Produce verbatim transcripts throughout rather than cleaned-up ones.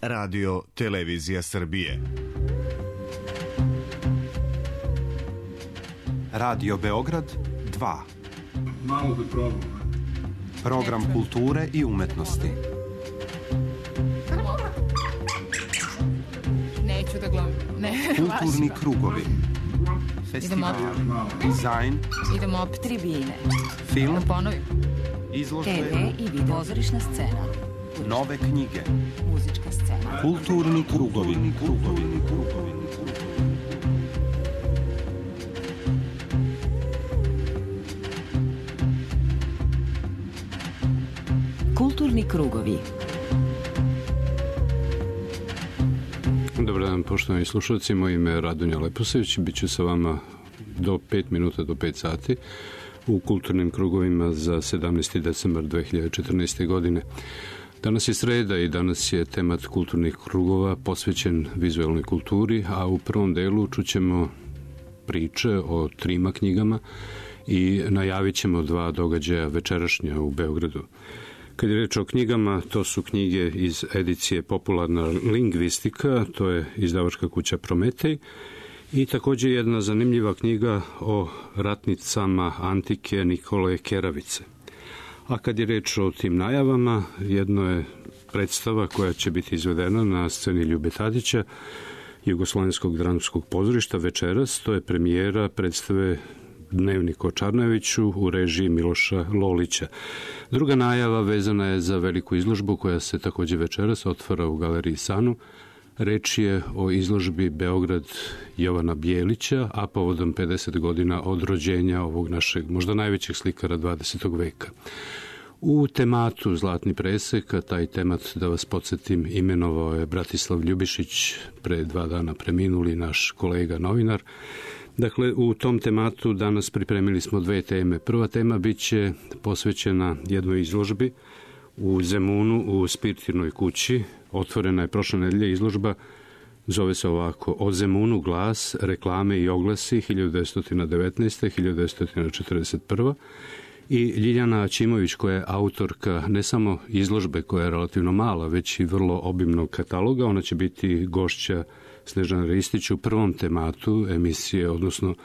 Radio Televizija Srbije. Radio Beograd dva. Malo da probam. Program kulture i umetnosti. Neću da glumim. Ne, kulturni krugovi. Festival, dizajn, idemo op tribine. Film, da ponovim. Izložbe, te ve i video, pozorišna scena, nove knjige, muzička scena, kulturni krugovi, krugovi, krugovi. Kulturni krugovi. Dobar dan, poštovani slušalci, moje ime je Radonja Leposević, bit ću sa vama do pet minuta do pet sati u kulturnim krugovima za sedamnaesti decembar dve hiljade četrnaeste. godine. Danas je sreda i danas je temat kulturnih krugova posvećen vizuelnoj kulturi, a u prvom delu čućemo priče o trima knjigama i najavit ćemo dva događaja večerašnja u Beogradu. Kad je reč o knjigama, to su knjige iz edicije Popularna lingvistika, to je izdavačka kuća Prometej, i također jedna zanimljiva knjiga o ratnicama antike Nikole Keravice. A kad je reč o tim najavama, jedno je predstava koja će biti izvedena na sceni Ljube Tadića, Jugoslovenskog dramskog pozorišta večeras, to je premijera predstave Dnevnik o Čarnojeviću u režiji Miloša Lolića. Druga najava vezana je za veliku izložbu koja se također večeras otvara u galeriji Sanu. Reč je o izložbi Beograd Jovana Bijelića, a povodom pedeset godina od rođenja ovog našeg možda najvećeg slikara dvadesetog veka. U tematu Zlatni presek, a taj temat, da vas podsjetim, imenovao je Bratislav Ljubišić, pre dva dana preminuli naš kolega novinar. Dakle, u tom tematu danas pripremili smo dve teme. Prva tema bit će posvećena jednoj izložbi u Zemunu u Spirtirnoj kući. Otvorena je prošle nedelje izložba, zove se ovako: O Zemunu glas, reklame i oglasi hiljadu devetsto devetnaeste do hiljadu devetsto četrdeset prve. I Ljiljana Aćimović, koja je autorka ne samo izložbe koja je relativno mala, već i vrlo obimnog kataloga. Ona će biti gošća Snežana Ristić u prvom tematu emisije, odnosno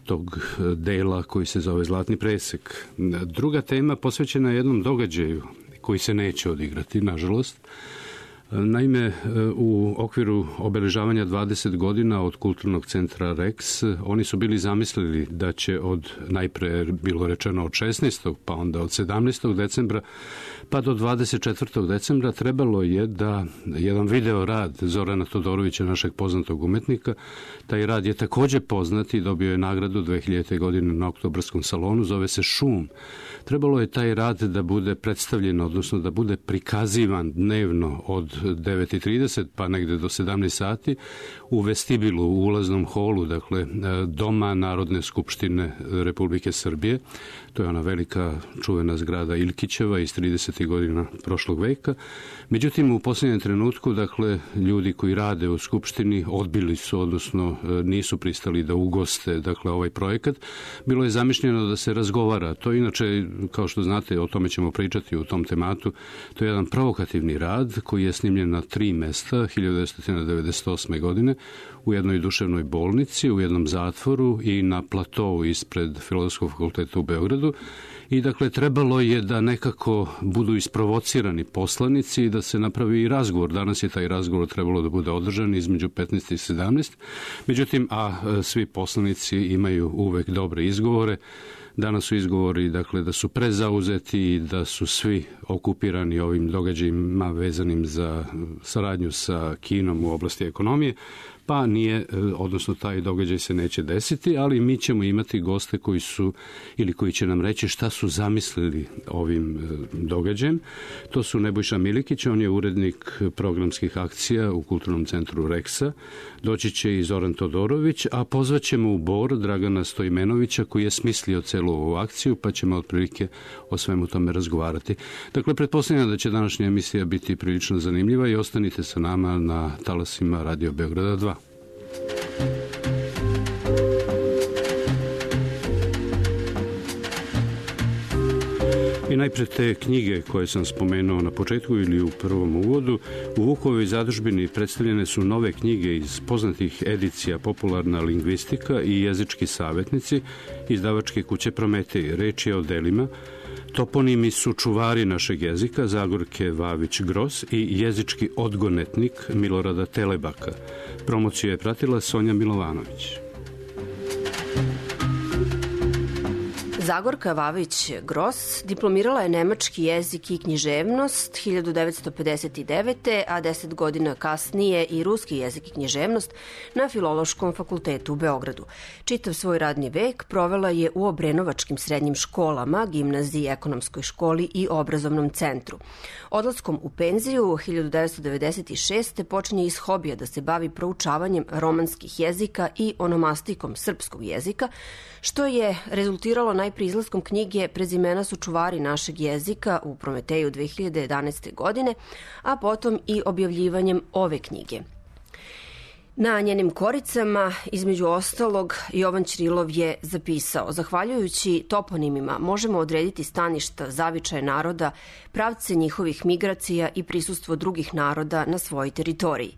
tog dela koji se zove Zlatni presek. Druga tema posvećena je jednom događaju koji se neće odigrati, nažalost. Naime, u okviru obeležavanja dvadeset godina od kulturnog centra Rex, oni su bili zamislili da će od, najpre bilo rečeno od šesnaestog pa onda od sedamnaestog decembra pa do dvadeset četvrtog decembra trebalo je da jedan video rad Zorana Todorovića, našeg poznatog umetnika, taj rad je također poznat i dobio je nagradu dve hiljadite. godine na Oktobarskom salonu, zove se Šum. Trebalo je taj rad da bude predstavljen, odnosno da bude prikazivan dnevno od devet i trideset pa negde do sedamnaest sati u vestibilu, u ulaznom holu, dakle, Doma Narodne skupštine Republike Srbije. To je ona velika čuvena zgrada Ilkićeva iz tridesetih godina prošlog veka. Međutim, u posljednjem trenutku, dakle, ljudi koji rade u skupštini odbili su, odnosno nisu pristali da ugoste, dakle, ovaj projekat. Bilo je zamišljeno da se razgovara. To inače, kao što znate, o tome ćemo pričati u tom tematu, to je jedan provokativni rad koji je snimljen na tri mesta hiljadu devetsto devedeset osme. godine u jednoj duševnoj bolnici, u jednom zatvoru i na platovu ispred Filozofskog fakulteta u Beogradu. I dakle, trebalo je da nekako budu isprovocirani poslanici i da se napravi i razgovor. Danas je taj razgovor trebalo da bude održan između petnaest i sedamnaest. Međutim, a svi poslanici imaju uvek dobre izgovore. Danas su izgovori, dakle, da su prezauzeti i da su svi okupirani ovim događajima vezanim za saradnju sa Kinom u oblasti ekonomije, pa nije, odnosno taj događaj se neće desiti, ali mi ćemo imati goste koji su, ili koji će nam reći šta su zamislili ovim događajem. To su Nebojša Milikić, on je urednik programskih akcija u Kulturnom centru Rexa. Doći će i Zoran Todorović, a pozvaćemo u Bor Dragana Stojmenovića, koji je smislio celu ovu akciju, pa ćemo otprilike o svemu tome razgovarati. Dakle, pretpostavljam da će današnja emisija biti prilično zanimljiva i ostanite sa nama na talasima Radio Beograda dva. I najpre te knjige koje sam spomenuo na početku ili u prvom uvodu. U Vukovoj zadužbini predstavljene su nove knjige iz poznatih edicija Popularna lingvistika i Jezički savjetnici izdavačke kuće Prometej. Reč je o delima Toponimi su čuvari našeg jezika Zagorke Vavić-Gros i Jezički odgonetnik Milorada Telebaka. Promociju je pratila Sonja Milovanović. Zagorka Vavić-Gros diplomirala je nemački jezik i književnost hiljadu devetsto pedeset devete. a deset godina kasnije i ruski jezik i književnost na Filološkom fakultetu u Beogradu. Čitav svoj radni vek provela je u obrenovačkim srednjim školama, gimnaziji, ekonomskoj školi i obrazovnom centru. Odlaskom u penziju hiljadu devetsto devedeset šeste. počinje iz hobija da se bavi proučavanjem romanskih jezika i onomastikom srpskog jezika, što je rezultiralo najprije izlaskom knjige Prezimena su čuvari našeg jezika u Prometeju dve hiljade jedanaeste. godine, a potom i objavljivanjem ove knjige. Na njenim koricama, između ostalog, Jovan Ćirilov je zapisao: zahvaljujući toponimima možemo odrediti staništa, zavičaje naroda, pravce njihovih migracija i prisustvo drugih naroda na svojoj teritoriji.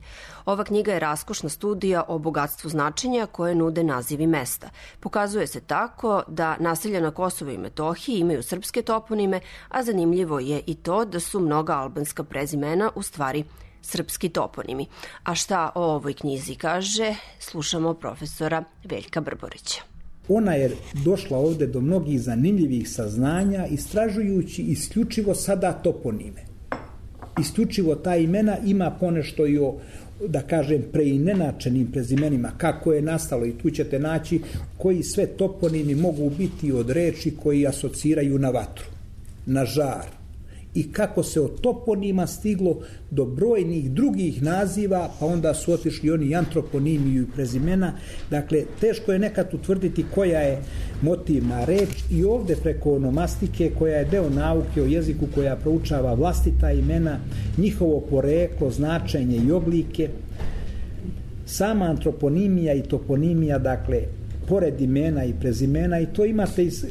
Ova knjiga je raskošna studija o bogatstvu značenja koje nude nazivi mesta. Pokazuje se tako da naselja na Kosovu i Metohiji imaju srpske toponime, a zanimljivo je i to da su mnoga albanska prezimena u stvari srpski toponimi. A šta o ovoj knjizi kaže, slušamo profesora Veljka Brborića. Ona je došla ovde do mnogih zanimljivih saznanja istražujući isključivo sada toponime. Isključivo ta imena ima ponešto i o, da kažem, preinenačenim prezimenima, kako je nastalo, i tu ćete naći koji sve toponimi mogu biti od reči koji asociraju na vatru, na žar, i kako se od toponima stiglo do brojnih drugih naziva, pa onda su otišli oni antroponimiju i prezimena. Dakle, teško je nekad utvrditi koja je motivna reč, i ovde preko onomastike, koja je deo nauke o jeziku, koja proučava vlastita imena, njihovo poreklo, značenje i oblike. Sama antroponimija i toponimija, dakle, pored imena i prezimena, i to imate iz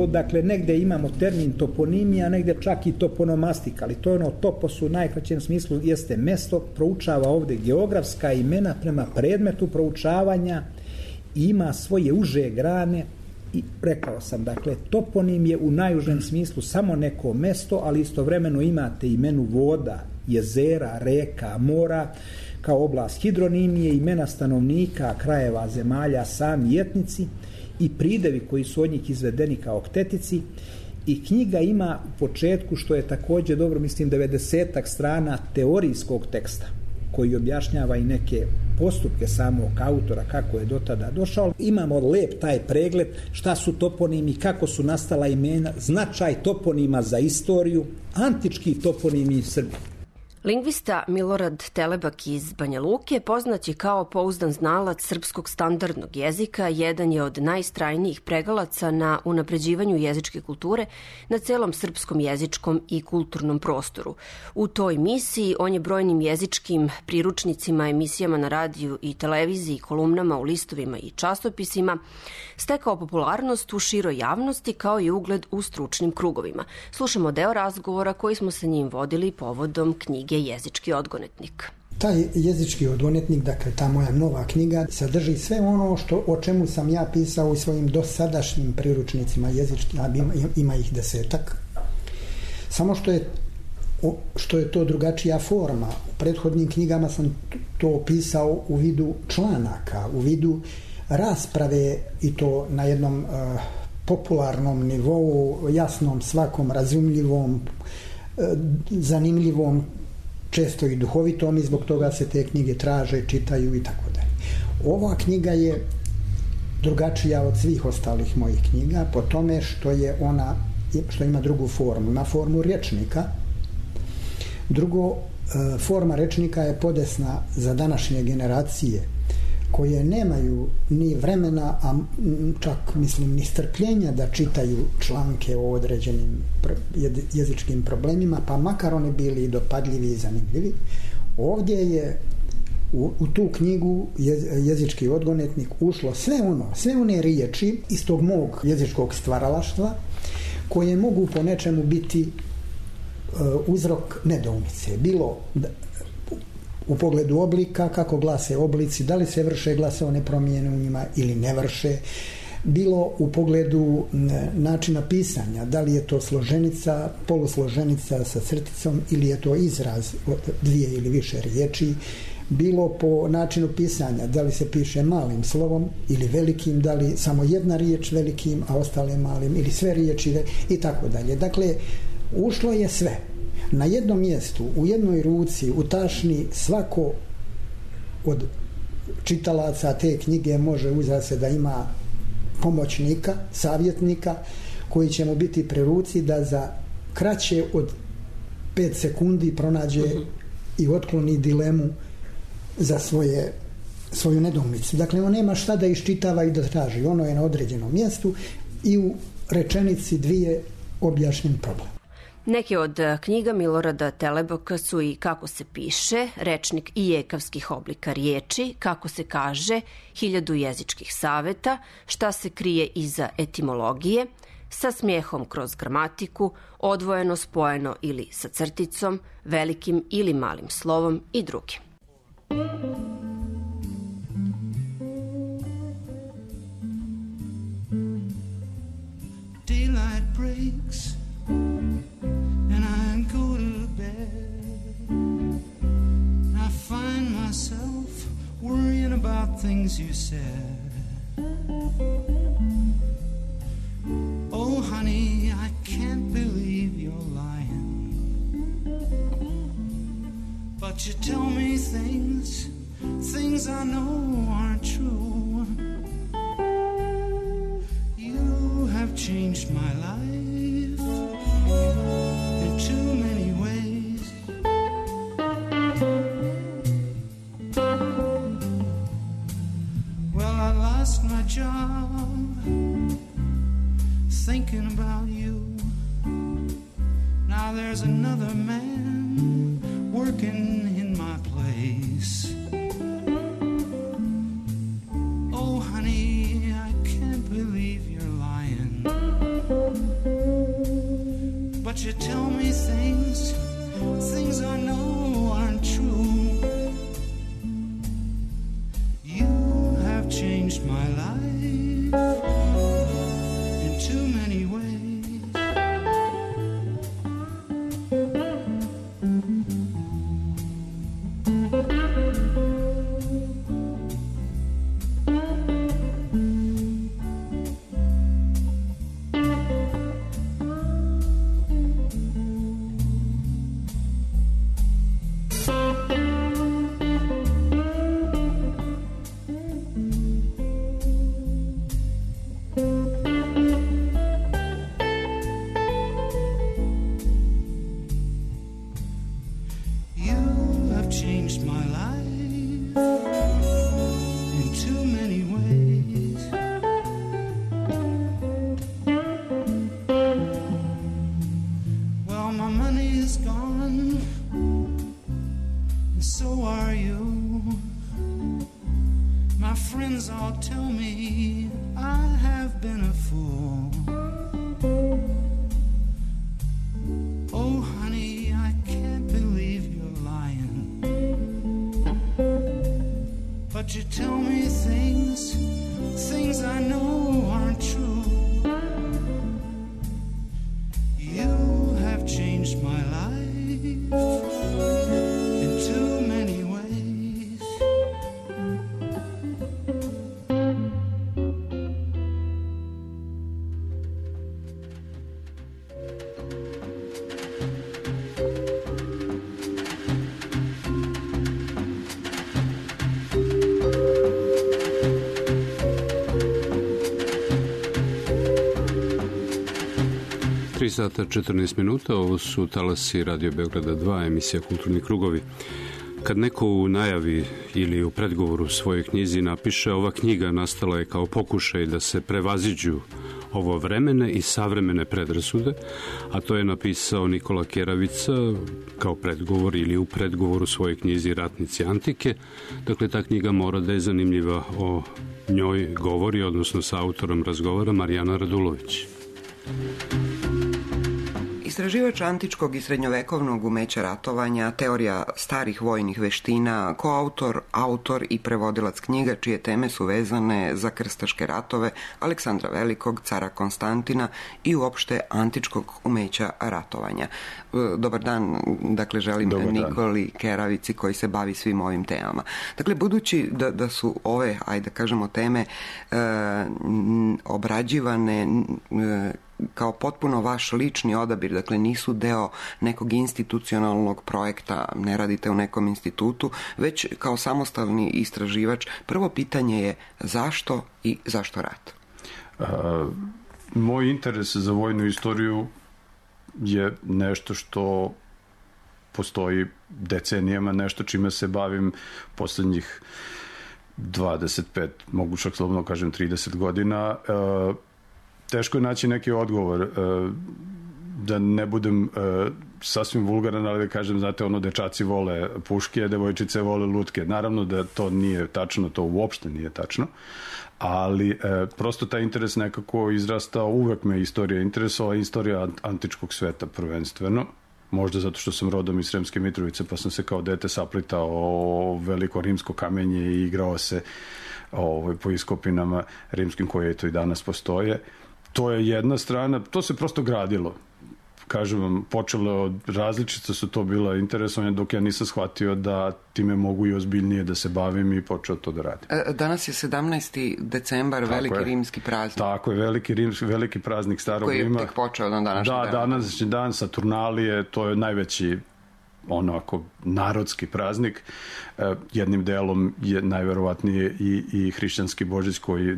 dakle, negde imamo termin toponimija, negde čak i toponomastika, ali to je ono, topos u najkraćem smislu jeste mesto, proučava ovde geografska imena prema predmetu proučavanja i ima svoje uže grane. I rekao sam, dakle, toponim je u najužem smislu samo neko mesto, ali istovremeno imate imenu voda, jezera, reka, mora, kao oblast hidronimije, imena stanovnika, krajeva, zemalja, sami etnici i pridevi koji su od njih izvedeni kao oktetici. I knjiga ima u početku, što je također dobro, mislim, devedesetak strana teorijskog teksta koji objašnjava i neke postupke samog autora, kako je do tada došao. Imamo lep taj pregled šta su toponimi, kako su nastala imena, značaj toponima za istoriju, antički toponimi Srbije. Lingvista Milorad Telebak iz Banja Luke poznat je kao pouzdan znalac srpskog standardnog jezika, jedan je od najstrajnijih pregalaca na unapređivanju jezičke kulture na celom srpskom jezičkom i kulturnom prostoru. U toj misiji on je brojnim jezičkim priručnicima, emisijama na radiju i televiziji, kolumnama u listovima i časopisima stekao popularnost u široj javnosti kao i ugled u stručnim krugovima. Slušamo deo razgovora koji smo sa njim vodili povodom knjige Jezički odgonetnik. Taj jezički odgonetnik, dakle ta moja nova knjiga, sadrži sve ono što, o čemu sam ja pisao u svojim dosadašnjim priručnicima jezički, a ima, ima ih desetak. Samo što je, što je to drugačija forma. U prethodnim knjigama sam to pisao u vidu članaka, u vidu rasprave, i to na jednom uh, popularnom nivou, jasnom, svakom razumljivom, uh, zanimljivom, često i duhovitom, i zbog toga se te knjige traže, čitaju i tako dalje. Ova knjiga je drugačija od svih ostalih mojih knjiga po tome što je ona, što ima drugu formu, ima formu rječnika. Drugo, forma rečnika je podesna za današnje generacije koje nemaju ni vremena, a čak mislim ni strpljenja da čitaju članke o određenim jezičkim problemima, pa makar oni bili i dopadljivi i zanimljivi. Ovdje je u, u tu knjigu Jezički odgonetnik ušlo sve ono, sve one riječi iz tog mog jezičkog stvaralaštva koje mogu po nečemu biti uh, uzrok nedoumice. Bilo da, u pogledu oblika, kako glase oblici, da li se vrše glasovne promjene u njima ili ne vrše, bilo u pogledu načina pisanja, da li je to složenica, polusloženica sa crticom ili je to izraz od dvije ili više riječi, bilo po načinu pisanja, da li se piše malim slovom ili velikim, da li samo jedna riječ velikim, a ostale malim, ili sve riječi i tako dalje. Dakle, ušlo je sve. Na jednom mjestu, u jednoj ruci, u tašni, svako od čitalaca te knjige može uzeti se da ima pomoćnika, savjetnika, koji će mu biti pri ruci da za kraće od pet sekundi pronađe uh-huh. i otkloni dilemu za svoje, svoju nedoumicu. Dakle, on nema šta da iščitava i da traži. Ono je na određenom mjestu i u rečenici dvije objašnjen problem. Neke od knjiga Milorada Teleboka su i Kako se piše, rečnik i jekavskih oblika riječi, Kako se kaže, hiljadu jezičkih saveta, Šta se krije iza etimologije, Sa smijehom kroz gramatiku, Odvojeno, spojeno ili sa crticom, Velikim ili malim slovom i drugi. Daylight breaks and I go to bed. I find myself worrying about things you said. Oh, honey, I can't believe you're lying. But you tell me things, things I know aren't true. You have changed my life in too many ways. Well, I lost my job thinking about you. Now there's another man working in my place. Oh, honey, I can't believe you're lying. But you tell me things, things I know aren't true. You have changed my life in too many ways. But you tell me things, things I know aren't true. You have changed my life in too many ways. tri sata četrnaest minuta, ovo su talasi Radio Beograda dva, emisija Kulturni krugovi. Kad neko u najavi ili u predgovoru svojoj knjizi napiše ova knjiga nastala je kao pokušaj da se prevaziđu ovo vremene i savremene predrasude, a to je napisao Nikola Keravica kao predgovor ili u predgovoru svojoj knjizi Ratnici antike. Dakle, ta knjiga mora da je zanimljiva, o njoj govori, odnosno sa autorom razgovara Marijana Radulović. Istraživač antičkog i srednjovekovnog umeća ratovanja, teorija starih vojnih veština, koautor, autor i prevodilac knjiga čije teme su vezane za krstaške ratove Aleksandra Velikog, cara Konstantina i uopšte antičkog umeća ratovanja. Dobar dan, dakle želim Dobar Nikoli dan. Keravici koji se bavi svim ovim temama. Dakle, budući da, da su ove, ajde da kažemo, teme e, obrađivane e, kao potpuno vaš lični odabir, dakle nisu deo nekog institucionalnog projekta, ne radite u nekom institutu, već kao samostalni istraživač. Prvo pitanje je zašto i zašto rat? A, moj interes za vojnu istoriju je nešto što postoji decenijama, nešto čime se bavim poslednjih dvadeset pet, mogu čak slobodno kažem trideset godina. E, teško je naći neki odgovor. E, da ne budem e, sasvim vulgaran, ali da kažem, znate, ono, dečaci vole puške, devojčice vole lutke. Naravno da to nije tačno, to uopšte nije tačno, ali e, prosto taj interes nekako izrastao, uvek me istorija interesovala, istorija antičkog sveta prvenstveno, možda zato što sam rodom iz Sremske Mitrovice, pa sam se kao dete saplitao o veliko rimsko kamenje i igrao se ovaj, po iskopinama rimskim koje to i danas postoje. To je jedna strana, to se prosto gradilo. Kažem vam, počelo od različita su to bila interesovanja, dok ja nisam shvatio da time mogu i ozbiljnije da se bavim i počeo to da radim. Danas je sedamnaesti decembar, tako veliki je. Rimski praznik. Tako je, veliki, rimski, veliki praznik Starog Rima. Koji je tek počeo na današnji da, dan. Da, današnji dan, Saturnalije, to je najveći onako narodski praznik. E, jednim delom je najverovatnije i, i hrišćanski Božić koji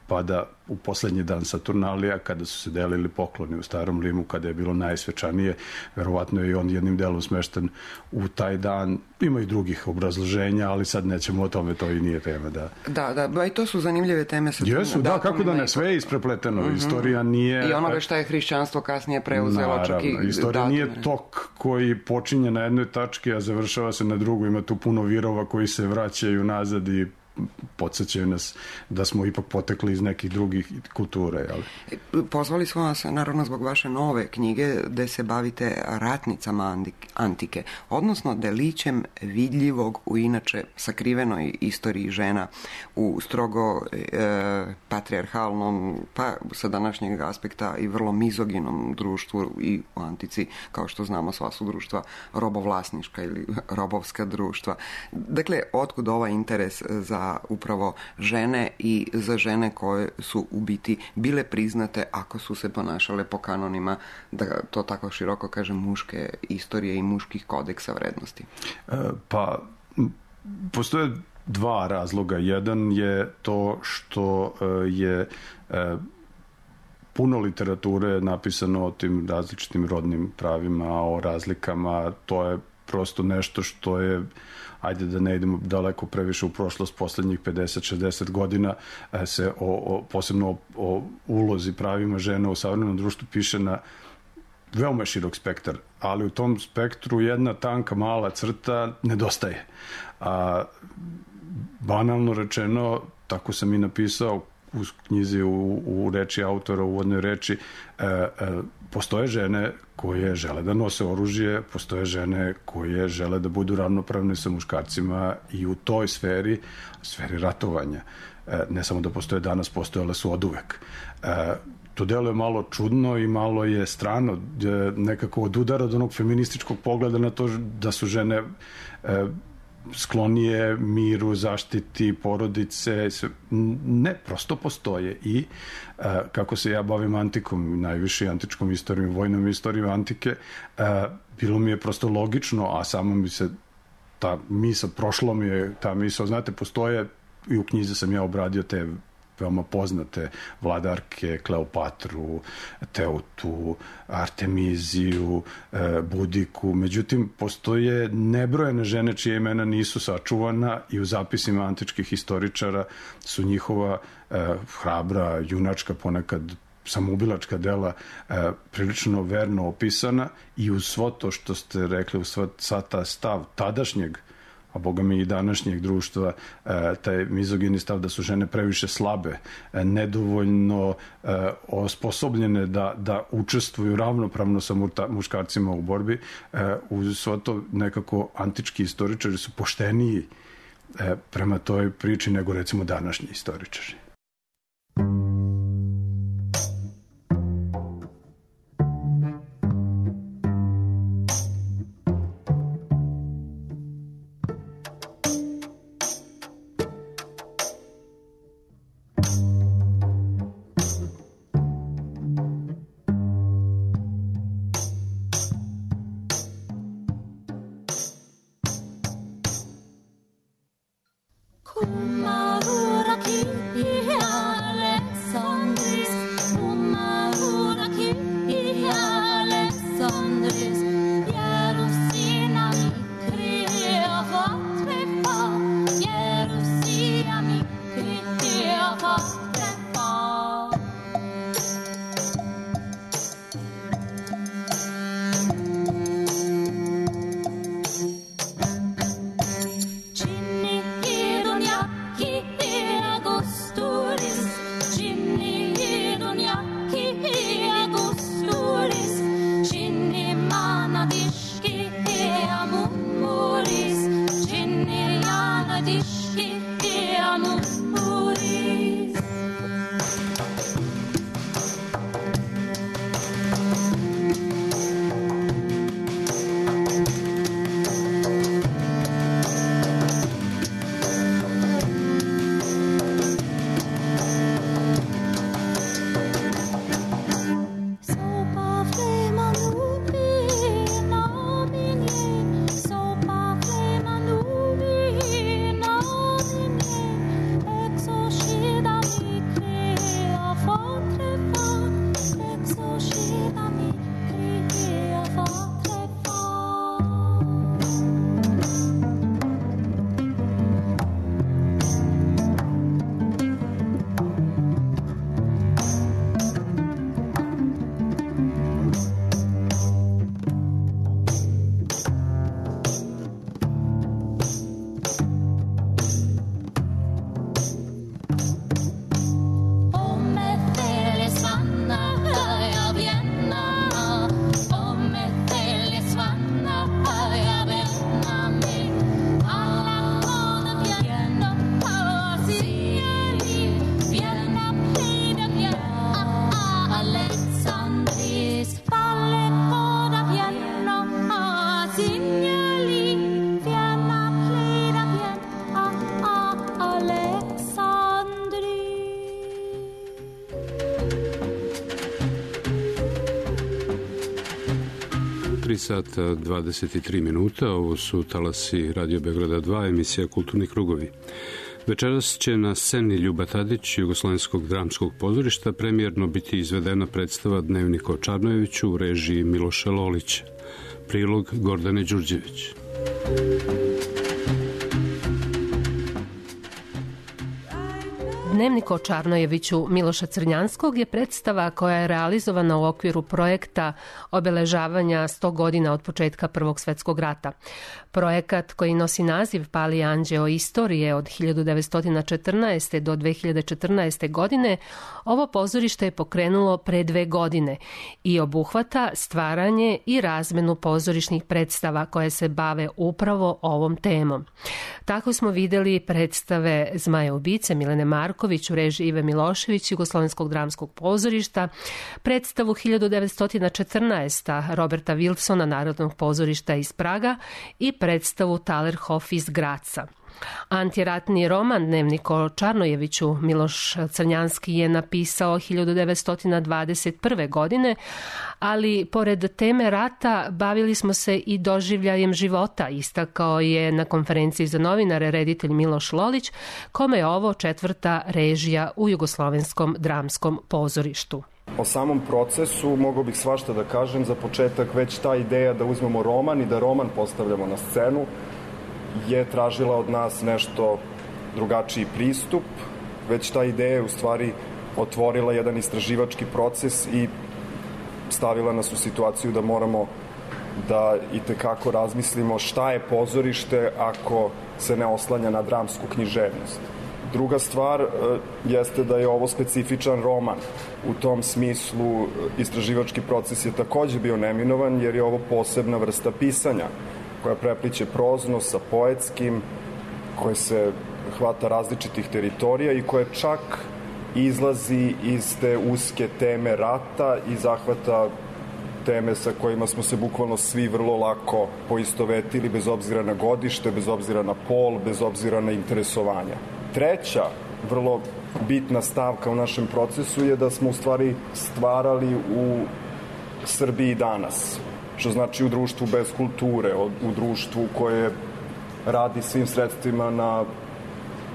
pada u poslednji dan Saturnalija, kada su se delili pokloni u Starom Rimu, kada je bilo najsvečanije. Verovatno je i on jednim delom smešten u taj dan. Ima i drugih obrazloženja, ali sad nećemo o tome, to i nije tema. Da, da, da ba, i to su zanimljive teme. Jesu, da, kako da ne, sve je isprepleteno. Mm-hmm. Istorija nije... I onoga šta je hrišćanstvo kasnije preuzelo. Naravno, čak i istorija datume. Nije tok koji počinje na jednoj tački, a završava se na drugoj. Ima tu puno virova koji se vraćaju nazad i podsjećaju nas da smo ipak potekli iz nekih drugih kultura. Jel? Pozvali smo vas naravno zbog vaše nove knjige gde se bavite ratnicama antike, odnosno delićem vidljivog u inače sakrivenoj istoriji žena u strogo e, patrijarhalnom, pa sa današnjeg aspekta i vrlo mizoginom društvu i u antici, kao što znamo, sva su društva robovlasnička ili robovska društva. Dakle, otkud ovaj interes za upravo žene i za žene koje su u biti bile priznate ako su se ponašale po kanonima, da to tako široko kažem, muške istorije i muških kodeksa vrednosti? E, pa, postoje dva razloga. Jedan je to što je e, puno literature napisano o tim različitim rodnim pravima, o razlikama. To je prosto nešto što je, ajde da ne idemo daleko previše u prošlost, poslednjih pedeset šezdeset godina se o, o, posebno o, o ulozi pravima žena u savremenom društvu piše na veoma širok spektar, ali u tom spektru jedna tanka mala crta nedostaje. A, banalno rečeno, tako sam i napisao u knjizi u, u reči autora, u uvodnoj reči, e, e, postoje žene koje žele da nose oružje, postoje žene koje žele da budu ravnopravne sa muškarcima i u toj sferi, sferi ratovanja. E, ne samo da postoje danas, postojale su oduvek. E, to delo je malo čudno i malo je strano, e, nekako od udara od onog feminističkog pogleda na to da su žene e, sklonije miru, zaštiti porodice, ne, prosto postoje i uh, kako se ja bavim antikom, najviše antičkom istorijom, vojnom istorijom antike, uh, bilo mi je prosto logično, a samo mi se ta misa, prošlo mi je ta misa, znate, postoje i u knjizi sam ja obradio te veoma poznate vladarke, Kleopatru, Teutu, Artemiziju, Budiku. Međutim, postoje nebrojene žene čije imena nisu sačuvana i u zapisima antičkih historičara su njihova hrabra, junačka, ponekad samoubilačka dela prilično verno opisana i uz svo to što ste rekli, uz sva ta stav tadašnjeg a boga mi i današnjeg društva, taj mizogini stav da su žene previše slabe, nedovoljno osposobljene da, da učestvuju ravnopravno sa muškarcima u borbi, uz svo to nekako antički istoričari su pošteniji prema toj priči nego recimo današnji istoričari. tri sata dvadeset tri minuta, ovo su talasi Radio Beograda dva, emisija Kulturni krugovi. Večeras će na sceni Ljuba Tadić Jugoslovenskog dramskog pozorišta premijerno biti izvedena predstava Dnevnik o Čarnojeviću u režiji Miloša Lolića. Prilog Gordane Đurđević. Dnevnik o Čarnojeviću Miloša Crnjanskog je predstava koja je realizovana u okviru projekta obeležavanja sto godina od početka Prvog svetskog rata. Projekat koji nosi naziv Pali anđeo istorije od hiljadu devetsto četrnaeste. do dve hiljade četrnaeste. godine, ovo pozorište je pokrenulo pre dve godine i obuhvata stvaranje i razmenu pozorišnih predstava koje se bave upravo ovom temom. Tako smo videli predstave Zmaja ubice Milene Marković u režiji Ive Milošević Jugoslovenskog dramskog pozorišta, predstavu hiljadu devetsto četrnaeste. Roberta Wilsona Narodnog pozorišta iz Praga i predstavu Talerhof iz Graca. Antiratni roman Dnevnik o Čarnojeviću Miloš Crnjanski je napisao hiljadu devetsto dvadeset prve. godine, ali pored teme rata bavili smo se i doživljajem života, istakao je na konferenciji za novinare reditelj Miloš Lolić, kome je ovo četvrta režija u Jugoslovenskom dramskom pozorištu. O samom procesu mogao bih svašta da kažem. Za početak već ta ideja da uzmemo roman i da roman postavljamo na scenu je tražila od nas nešto drugačiji pristup. Već ta ideja je u stvari otvorila jedan istraživački proces i stavila nas u situaciju da moramo da itekako razmislimo šta je pozorište ako se ne oslanja na dramsku književnost. Druga stvar jeste da je ovo specifičan roman. U tom smislu istraživački proces je takođe bio neminovan jer je ovo posebna vrsta pisanja koja prepliće prozno sa poetskim, koje se hvata različitih teritorija i koje čak izlazi iz te uske teme rata i zahvata teme sa kojima smo se bukvalno svi vrlo lako poistovetili, bez obzira na godište, bez obzira na pol, bez obzira na interesovanja. Treća, vrlo bitna stavka u našem procesu je da smo u stvari stvarali u Srbiji danas, što znači u društvu bez kulture, u društvu koje radi svim sredstvima na,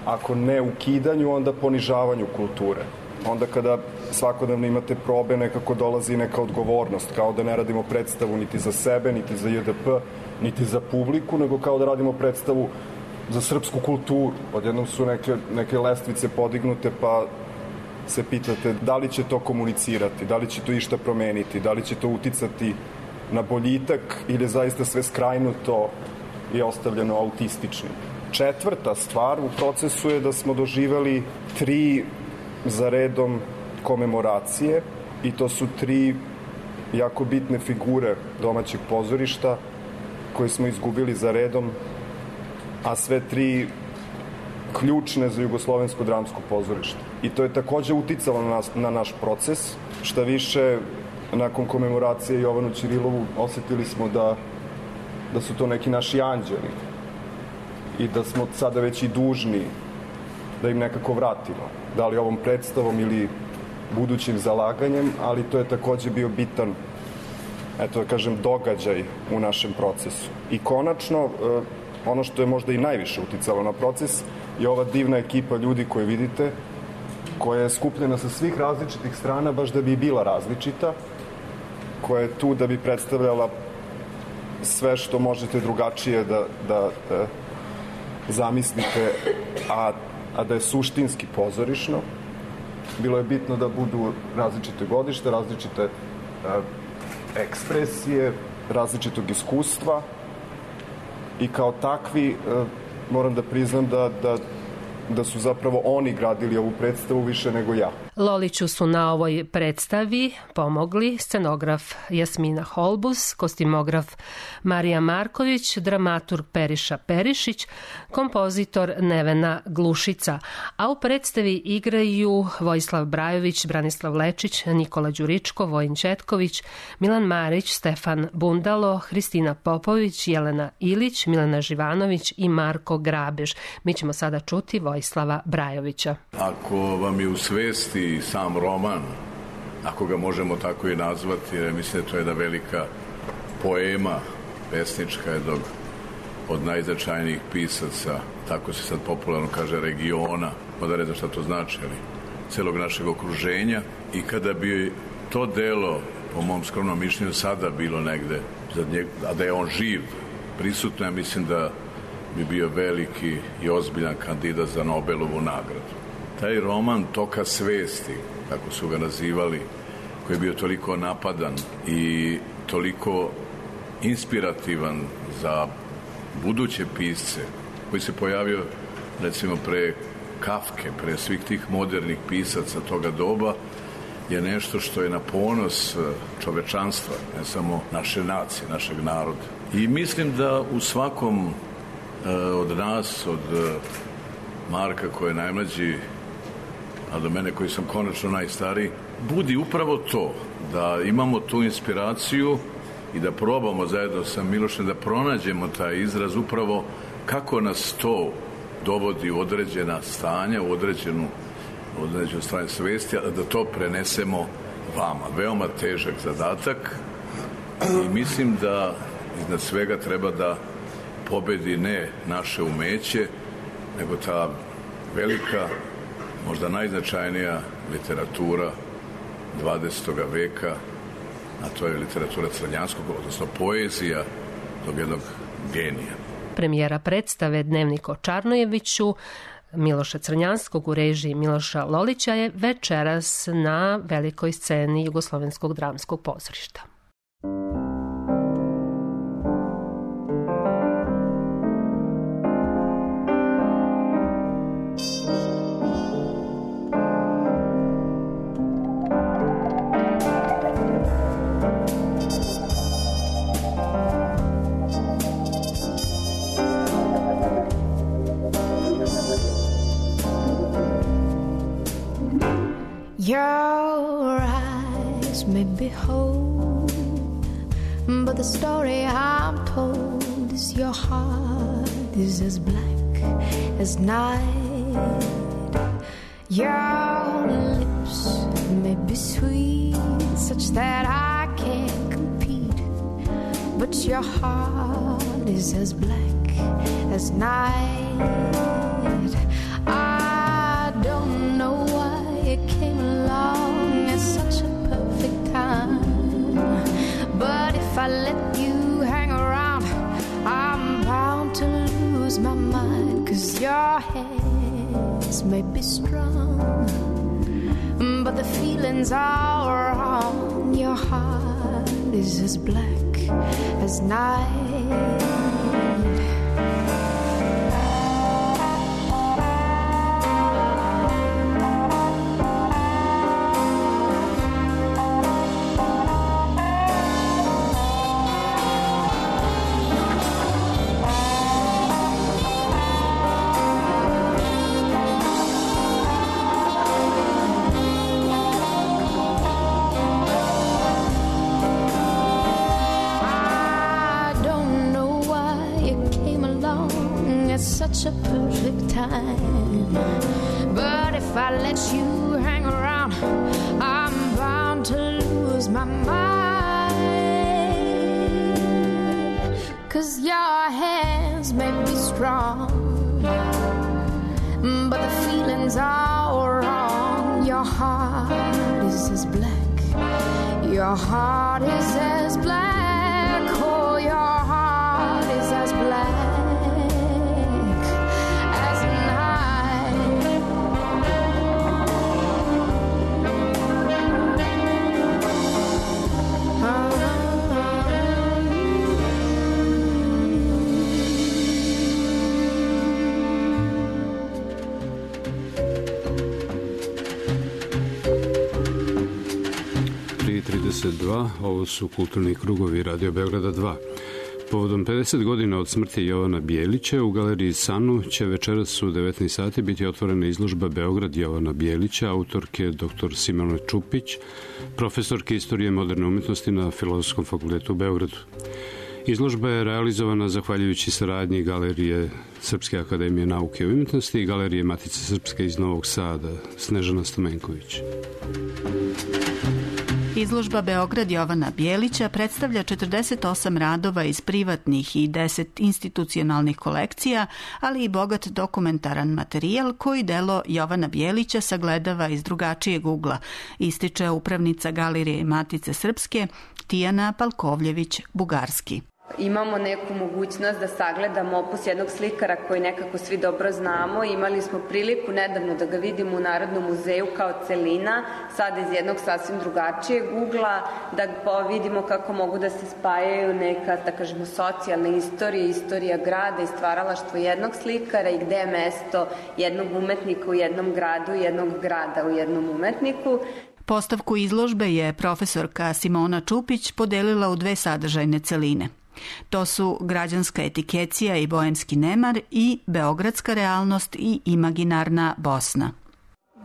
ako ne ukidanju, onda ponižavanju kulture. Onda kada svakodnevno imate probe, nekako dolazi neka odgovornost, kao da ne radimo predstavu niti za sebe, niti za J D P, niti za publiku, nego kao da radimo predstavu za srpsku kulturu. Odjednom su neke, neke lestvice podignute, pa se pitate da li će to komunicirati, da li će to išta promeniti, da li će to uticati na boljitak ili je zaista sve skrajnuto i ostavljeno autističnim. Četvrta stvar u procesu je da smo doživeli tri za redom komemoracije i to su tri jako bitne figure domaćeg pozorišta koje smo izgubili za redom, a sve tri ključne za jugoslovensko dramsko pozorište. I to je takođe uticalo na, nas, na naš proces. Šta više, nakon komemoracije Jovanu Ćirilovu osetili smo da, da su to neki naši anđeli i da smo sada već i dužni da im nekako vratimo. Da li ovom predstavom ili budućim zalaganjem, ali to je takođe bio bitan, eto da kažem, događaj u našem procesu. I konačno, ono što je možda i najviše uticalo na proces je ova divna ekipa ljudi koje vidite, koja je skupljena sa svih različitih strana, baš da bi bila različita, koja je tu da bi predstavljala sve što možete drugačije da, da, da zamislite, a, a da je suštinski pozorišno. Bilo je bitno da budu različite godište, različite a, ekspresije, različitog iskustva i kao takvi a, moram da priznam da, da, da su zapravo oni gradili ovu predstavu više nego ja. Loliću su na ovoj predstavi pomogli scenograf Jasmina Holbus, kostimograf Marija Marković, dramaturg Periša Perišić, kompozitor Nevena Glušica, a u predstavi igraju Vojislav Brajović, Branislav Lečić, Nikola Đuričko, Vojin Četković, Milan Marić, Stefan Bundalo, Hristina Popović, Jelena Ilić, Milena Živanović i Marko Grabež. Mi ćemo sada čuti Vojislava Brajovića. Ako vam je u svesti sam roman, ako ga možemo tako i nazvati, jer mislim da to je jedna velika poema pesnička jednog od najznačajnijih pisaca, tako se sad popularno kaže, regiona, pa ne znam šta to znači, ali celog našeg okruženja. I kada bi to delo, po mom skromnom mišljenju, sada bilo negde, a da je on živ, prisutno, ja mislim da bi bio veliki i ozbiljan kandidat za Nobelovu nagradu. Taj roman Toka svesti, kako su ga nazivali, koji je bio toliko napadan i toliko inspirativan za buduće pisce, koji se pojavio recimo pre Kafke, pre svih tih modernih pisaca toga doba, je nešto što je na ponos čovečanstva, ne samo naše nacije, našeg naroda. I mislim da u svakom od nas, od Marka koji je najmlađi, a do mene koji sam konačno najstariji, budi upravo to, da imamo tu inspiraciju i da probamo zajedno sa Milošem da pronađemo taj izraz upravo kako nas to dovodi u određena stanja, u određenu, određenu stanje svesti, a da to prenesemo vama. Veoma težak zadatak i mislim da iznad svega treba da pobedi ne naše umeće, nego ta velika, možda najznačajnija literatura dvadesetog veka, a to je literatura crnjanskog, odnosno poezija tog jednog genija. Premijera predstave Dnevnik o Čarnojeviću Miloša Crnjanskog u režiji Miloša Lolića je večeras na velikoj sceni Jugoslovenskog dramskog pozorišta. Your eyes may be whole, but the story I'm told is your heart is as black as night. Your lips may be sweet, such that I can't compete, but your heart is as black as night. I don't know why it came along at such a perfect time, but if I let you hang around, I'm bound to lose my mind. 'Cause your hands may be strong, but the feelings are wrong. Your heart is as black as night. Such a perfect time, but if I let you hang around, I'm bound to lose my mind. 'Cause your hands may be strong, but the feelings are wrong. Your heart is as black, your heart is as black, oh, your heart is as black. trideset dva, ovo su kulturni krugovi Radio Beograda dva. Povodom pedeset godina od smrti Jovana Bijelića u galeriji Sanu će večeras u devetnaest sati biti otvorena izložba Beograd Jovana Bijelića, autorke dr Simone Čupić, profesorke istorije moderne umetnosti na Filozofskom fakultetu u Beogradu. Izložba je realizovana zahvaljujući saradnji Galerije Srpske akademije nauke i umetnosti i Galerije Matice Srpske iz Novog Sada. Snežana Stamenković. Izložba Beograd Jovana Bijelića predstavlja četrdeset osam radova iz privatnih i deset institucionalnih kolekcija, ali i bogat dokumentaran materijal koji delo Jovana Bijelića sagledava iz drugačijeg ugla, ističe upravnica Galerije Matice Srpske Tijana Palkovljević-Bugarski. Imamo neku mogućnost da sagledamo opus jednog slikara koji nekako svi dobro znamo. Imali smo priliku nedavno da ga vidimo u Narodnom muzeju kao celina, sada iz jednog sasvim drugačijeg ugla, da vidimo kako mogu da se spajaju neka, da kažemo, socijalna istorija, istorija grada i stvaralaštvo jednog slikara i gde je mesto jednog umetnika u jednom gradu, jednog grada u jednom umetniku. Postavku izložbe je profesorka Simona Čupić podelila u dve sadržajne celine. To su građanska etikecija i boemski nemar i beogradska realnost i imaginarna Bosna.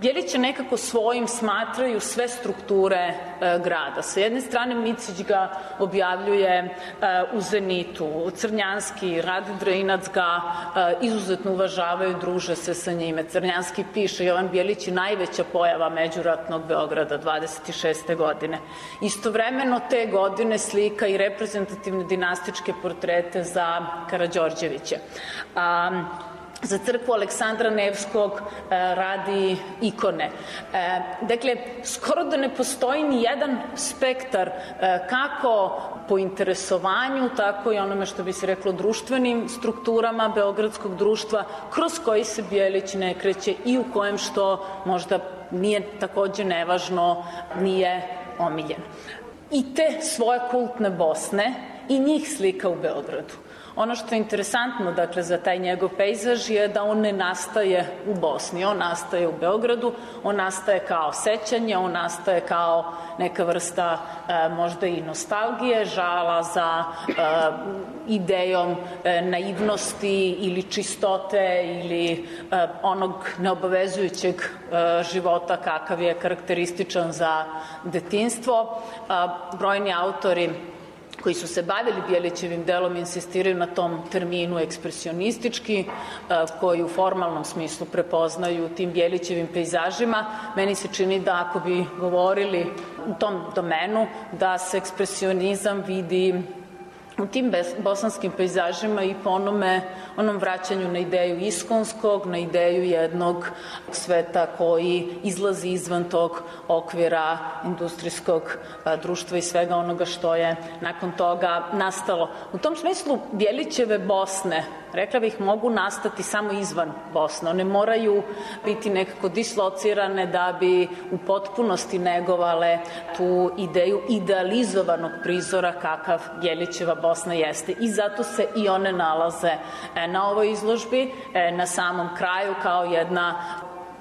Bijelića nekako svojim smatraju sve strukture e, grada. Sa jedne strane Micić ga objavljuje e, u Zenitu, Crnjanski, Rade Drinac ga e, izuzetno uvažavaju, druže se sa njime. Crnjanski piše Jovan Bijelić je najveća pojava međuratnog Beograda dvadeset šeste godine. Istovremeno te godine slika i reprezentativne dinastičke portrete za Karađorđevića. A, za crkvu Aleksandra Nevskog e, radi ikone. E, dakle, skoro da ne postoji ni jedan spektar e, kako po interesovanju, tako i onome što bi se reklo društvenim strukturama beogradskog društva, kroz koji se Bijelić ne kreće i u kojem, što možda nije takođe nevažno, nije omiljen. I te svoje kultne Bosne i njih slika u Beogradu. Ono što je interesantno, dakle, za taj njegov pejzaž je da on ne nastaje u Bosni, on nastaje u Beogradu, on nastaje kao sećanje, on nastaje kao neka vrsta e, možda i nostalgije, žala za e, idejom e, naivnosti ili čistote ili e, onog neobavezujućeg e, života kakav je karakterističan za detinjstvo. A, brojni autori koji su se bavili Bjelićevim delom insistiraju na tom terminu ekspresionistički, koji u formalnom smislu prepoznaju tim Bjelićevim pejzažima. Meni se čini da ako bi govorili u tom domenu, da se ekspresionizam vidi u tim bosanskim pejzažima i po onome, onom vraćanju na ideju iskonskog, na ideju jednog sveta koji izlazi izvan tog okvira industrijskog društva i svega onoga što je nakon toga nastalo. U tom smislu Bjelićeve Bosne, rekla bih, mogu nastati samo izvan Bosne. One moraju biti nekako dislocirane da bi u potpunosti negovale tu ideju idealizovanog prizora kakav Bjelićeva Bosna jeste. I zato se i one nalaze na ovoj izložbi, na samom kraju, kao jedna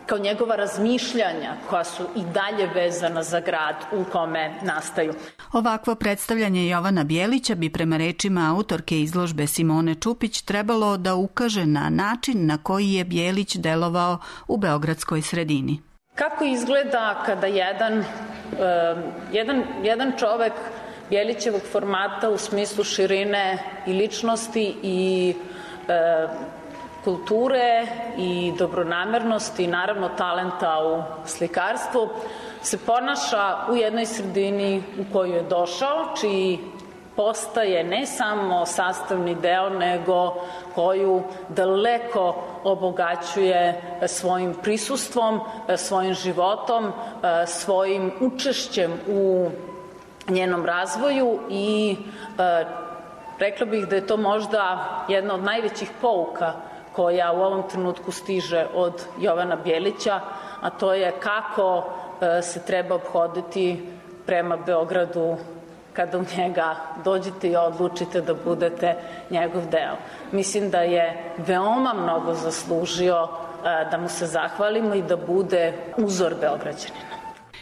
kao njegova razmišljanja koja su i dalje vezana za grad u kome nastaju. Ovakvo predstavljanje Jovana Bjelića bi prema rečima autorke izložbe Simone Čupić trebalo da ukaže na način na koji je Bjelić delovao u beogradskoj sredini. Kako izgleda kada jedan, jedan, jedan čovek Bjelićevog formata u smislu širine i ličnosti i e, kulture i dobronamernosti i naravno talenta u slikarstvu se ponaša u jednoj sredini u koju je došao, čiji postaje ne samo sastavni deo, nego koju daleko obogaćuje svojim prisustvom, svojim životom, svojim učešćem u njenom razvoju i e, rekla bih da je to možda jedna od najvećih pouka koja u ovom trenutku stiže od Jovana Bjelića, a to je kako e, se treba obhoditi prema Beogradu kada u njega dođete i odlučite da budete njegov deo. Mislim da je veoma mnogo zaslužio e, da mu se zahvalimo i da bude uzor Beograđanina.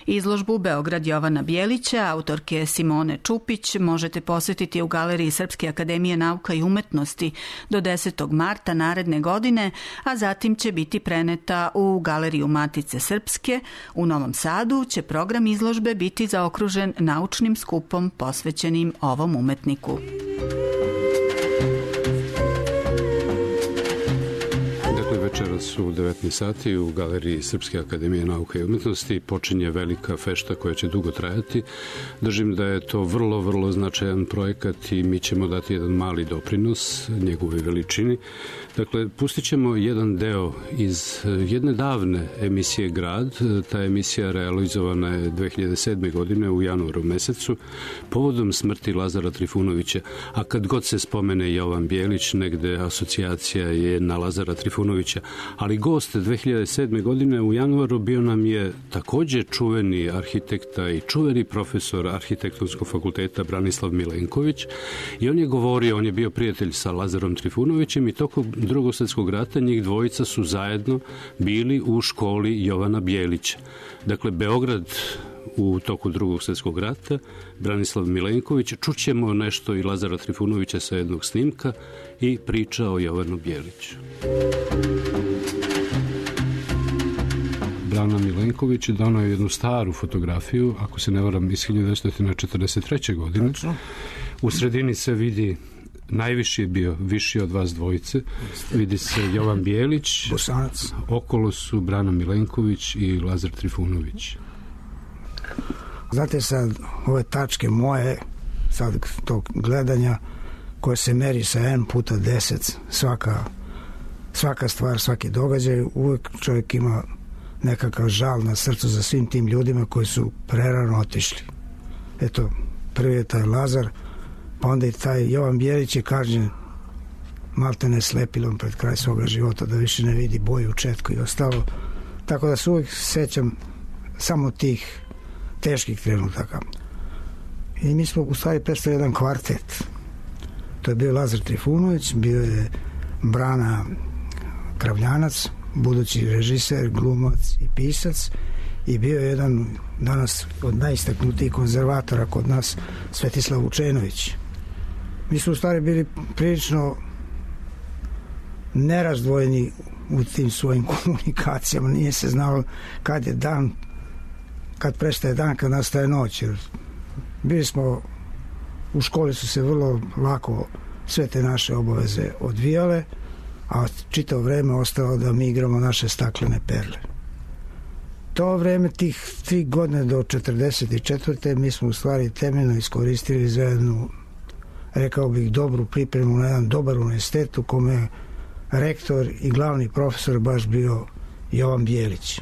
Izložbu Beograd Jovana Bjelića, autorke Simone Čupić, možete posetiti u Galeriji Srpske akademije nauka i umetnosti do desetog marta naredne godine, a zatim će biti preneta u Galeriju Matice Srpske. U Novom Sadu će program izložbe biti zaokružen naučnim skupom posvećenim ovom umetniku. Večeras u devetnaest sati u Galeriji Srpske akademije nauka i umetnosti počinje velika fešta koja će dugo trajati. Držim da je to vrlo, vrlo značajan projekat i mi ćemo dati jedan mali doprinos njegove veličini. Dakle, pustit ćemo jedan deo iz jedne davne emisije Grad. Ta emisija realizovana je dve hiljade sedme. godine u januaru mesecu povodom smrti Lazara Trifunovića. A kad god se spomene Jovan Bjelić, negde asocijacija je na Lazara Trifunovića. Ali gost dve hiljade sedme. godine u januaru bio nam je takođe čuveni arhitekta i čuveni profesor Arhitektonskog fakulteta Branislav Milenković i on je govorio, on je bio prijatelj sa Lazarom Trifunovićem i tokom Drugog svjetskog rata njih dvojica su zajedno bili u školi Jovana Bjelića. Dakle, Beograd u toku Drugog svjetskog rata, Branislav Milenković, čućemo nešto i Lazara Trifunovića sa jednog snimka i priča o Jovanu Bjeliću. Brana Milenković donao je jednu staru fotografiju, ako se ne varam, iz hiljadu devetsto četrdeset treće. godine. U sredini se vidi, najviši je bio, viši od vas dvojice, vidi se Jovan Bjelić, Bosanac. Okolo su Brana Milenković i Lazar Trifunović. Znate, sad ove tačke moje, sad tog gledanja, koje se meri sa n puta deset, svaka, svaka stvar, svaki događaj, uvek čovjek ima nekakav žal na srcu za svim tim ljudima koji su prerano otišli. Eto, prvi je taj Lazar, pa onda i taj Jovan Bjelić je kažnjen malte ne slepilom pred kraj svoga života, da više ne vidi boju u četku i ostalo. Tako da se uvijek sećam samo tih teških trenutaka. I mi smo u stvari predstavili jedan kvartet. To je bio Lazar Trifunović, bio je Brana Kravljanac, budući režiser, glumac i pisac, i bio je jedan danas od najistaknutijih konzervatora kod nas, Svetislav Vučenović. Mi smo u stvari bili prilično nerazdvojeni u tim svojim komunikacijama. Nije se znalo kad je dan, kad prestaje dan, kad nastaje noć. Bili smo, u školi su se vrlo lako sve te naše obaveze odvijale, a čitavo vreme ostalo da mi igramo naše staklene perle. To vreme, tih tri godine do četrdeset četvrte mi smo u stvari temeljno iskoristili za jednu, rekao bih, dobru pripremu na jedan dobar univerzitet u kome je rektor i glavni profesor baš bio Jovan Bijelić.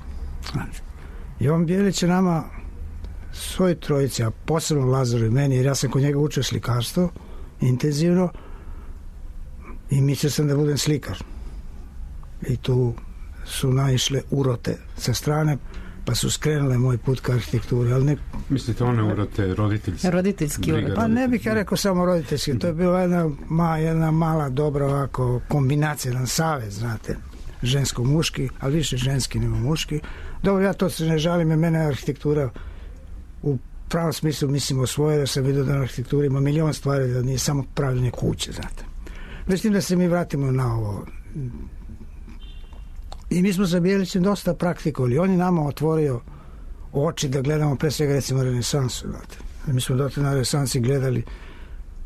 Jovan Bijelić je nama, svoj trojici, a posebno Lazaru i meni, jer ja sam kod njega učio slikarstvo intenzivno i mislio sam da budem slikar. I tu su naišle urote sa strane, pa su skrenule moj put ka arhitekturi. Ali ne... Mislite one urote roditeljski? Roditeljski urote. Pa ne bih ja rekao samo roditeljski. To je bila jedna, ma, jedna mala dobra ovako kombinacija, jedan savez, znate, žensko-muški, ali više ženski nego muški. Dobro, ja to se ne žalim, jer mene arhitektura u pravom smislu mislim osvojila, da sam vidio da na arhitekturi ima milion stvari, da nije samo pravljenje kuće, znate. Mislim da se mi vratimo na ovo. I mi smo sa Bijelićem dosta praktikovali. On je nama otvorio oči da gledamo pre svega recimo renesansu. Znate. Mi smo dotle na renesansi gledali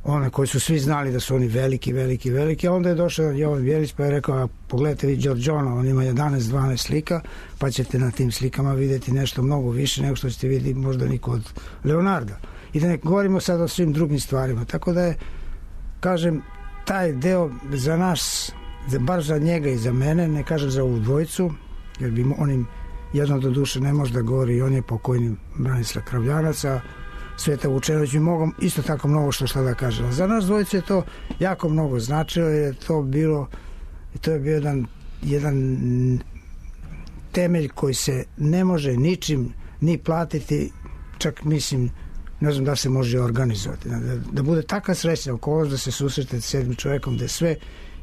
one koji su svi znali da su oni veliki, veliki, veliki, a onda je došao Jovan Bijelić pa je rekao, a pogledajte vi Giorgiona, on ima jedanaest dvanaest slika, pa ćete na tim slikama vidjeti nešto mnogo više nego što ćete vidjeti možda niko od Leonarda. I da ne govorimo sad o svim drugim stvarima. Tako da je, kažem, taj deo za nas, bar za njega i za mene, ne kažem za ovu dvojicu, jer bi onim jedno do duše ne može da govori, i on je pokojni Branislav Kravljanac, a Sveta Vučenović bi mogao isto tako mnogo što šta da kaže. Za nas dvojicu je to jako mnogo značilo, jer je to bilo, to je bio jedan, jedan temelj koji se ne može ničim ni platiti, čak mislim, ne znam da se može organizovati. Da, da bude taka srećna okolnost da se susretete s jednim čovjekom gde sve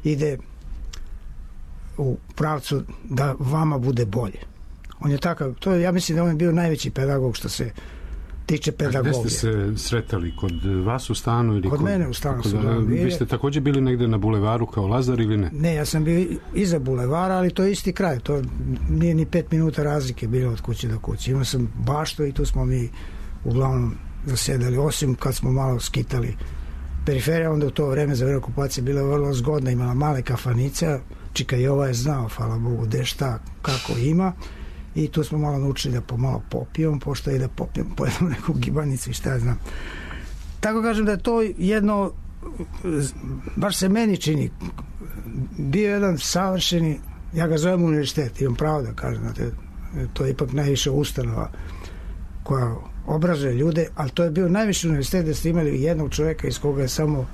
ide u pravcu da vama bude bolje. On je takav, to je, ja mislim da on je bio najveći pedagog što se tiče pedagogije. A gde ste se sretali? Kod vas u stanu? Ili kod, kod mene u stanu kod, su bili. Vi ste također bili negde na bulevaru kao Lazar ili ne? Ne, ja sam bio iza bulevara, ali to je isti kraj. To nije ni pet minuta razlike bilo od kuće do kuće. Imao sam baštu i tu smo mi uglavnom zasedali, osim kad smo malo skitali periferija, onda u to vreme za vreme okupacije bila vrlo zgodna, imala male kafanice, Čika Jova je znao, hvala Bogu, gde šta, kako ima, i tu smo malo naučili da pomalo popijemo, pošto i da popijemo, pojedemo neku gibanicu i šta ja znam. Tako kažem da je to jedno, baš se meni čini, bio jedan savršeni, ja ga zovem univerzitet, imam pravo da kažem, znate, to je ipak najviše ustanova koja obrazuje ljude, ali to je bio najviši univerzitet da ste imali jednog čovjeka iz koga je samo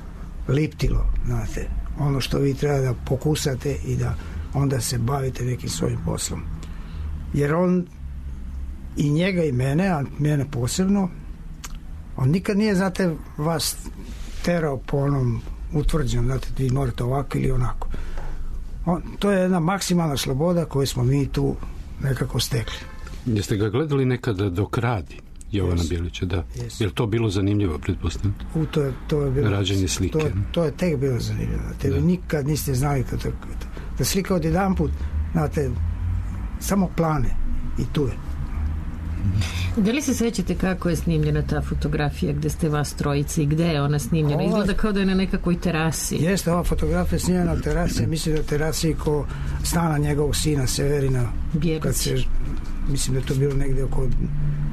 liptilo, znate, ono što vi treba da pokusate i da onda se bavite nekim svojim poslom. Jer on i njega i mene, a mene posebno, on nikad nije, znate, vas terao po onom utvrđenom, znate, vi morate ovako ili onako. On, to je jedna maksimalna sloboda koju smo mi tu nekako stekli. Jeste ga gledali nekada dok radi Jovana yes. Bijelića, da? Yes. Je li to bilo zanimljivo, pretpostavljam? U, to, je, to je bilo... Rađenje slike. To, to je tek bilo zanimljivo. Te vi nikad niste znali da, da slika od jedan put, znate, samo plane i tu je. Da li se sećate kako je snimljena ta fotografija gde ste vas trojice i gde je ona snimljena? Ova... Izgleda kao da je na nekakvoj terasi. Jeste, ova fotografija je snimljena na terasi, mislim da je terasi ko stana njegovog sina Severina. Kad se, mislim da je to bilo negde oko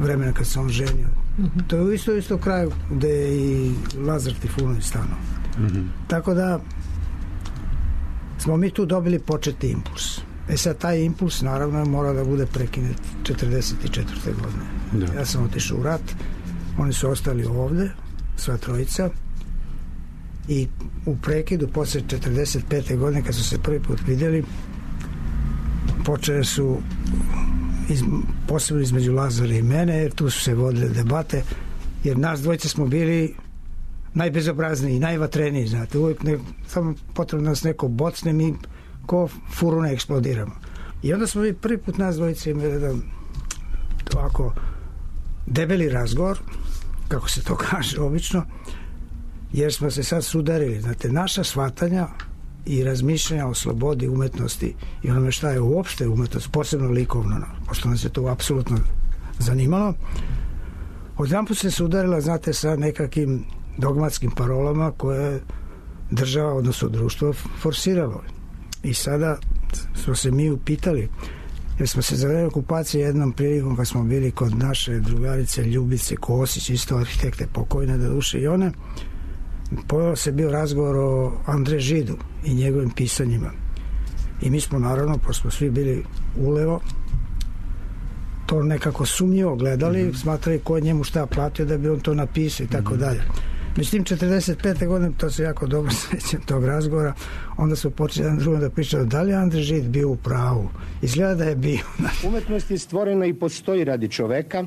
vremena kad se on ženio. Uh-huh. To je u isto, isto kraju gde je i Lazar Trifunović stano. Uh-huh. Tako da smo mi tu dobili početni impuls. E sad, taj impuls naravno mora da bude prekinut četrdeset četvrte godine. Da. Ja sam otišao u rat, oni su ostali ovde, sva trojica, i u prekidu posle četrdeset pete godine kad su se prvi put vidjeli, počele su iz, posebno između Lazara i mene, jer tu su se vodile debate, jer nas dvojice smo bili najbezobrazniji, najvatreniji, znate, uvijek ne, samo potrebno nas neko bocne, mi ko furu ne eksplodiramo. I onda smo mi prvi put nas dvojice imali jedan ovako debeli razgovor, kako se to kaže obično, jer smo se sad sudarili, znate, naša shvatanja i razmišljanja o slobodi umetnosti i onome šta je uopšte umetnost, posebno likovno, pošto nas je to apsolutno zanimalo, odjedanput se sudarila, znate, sa nekakvim dogmatskim parolama koje je država, odnosno društvo, forsiralo. I sada smo se mi upitali, jer smo se za vreme okupacije jednom prilikom kad smo bili kod naše drugarice Ljubice Kosić, isto arhitekte pokojne do duše i one, pojavio se bio razgovor o Andre Židu i njegovim pisanjima. I mi smo naravno, pošto smo svi bili ulevo, to nekako sumnjivo gledali, mm-hmm. smatrali ko je njemu šta platio da bi on to napisao i tako mm-hmm. dalje. Međutim, četrdeset pete godine, to se jako dobro sjećam tog razgovora, onda su počeli jedan drugom da pričaju da li je Andre Žid bio u pravu. Izgleda da je bio. Umetnost je stvorena i postoji radi čoveka.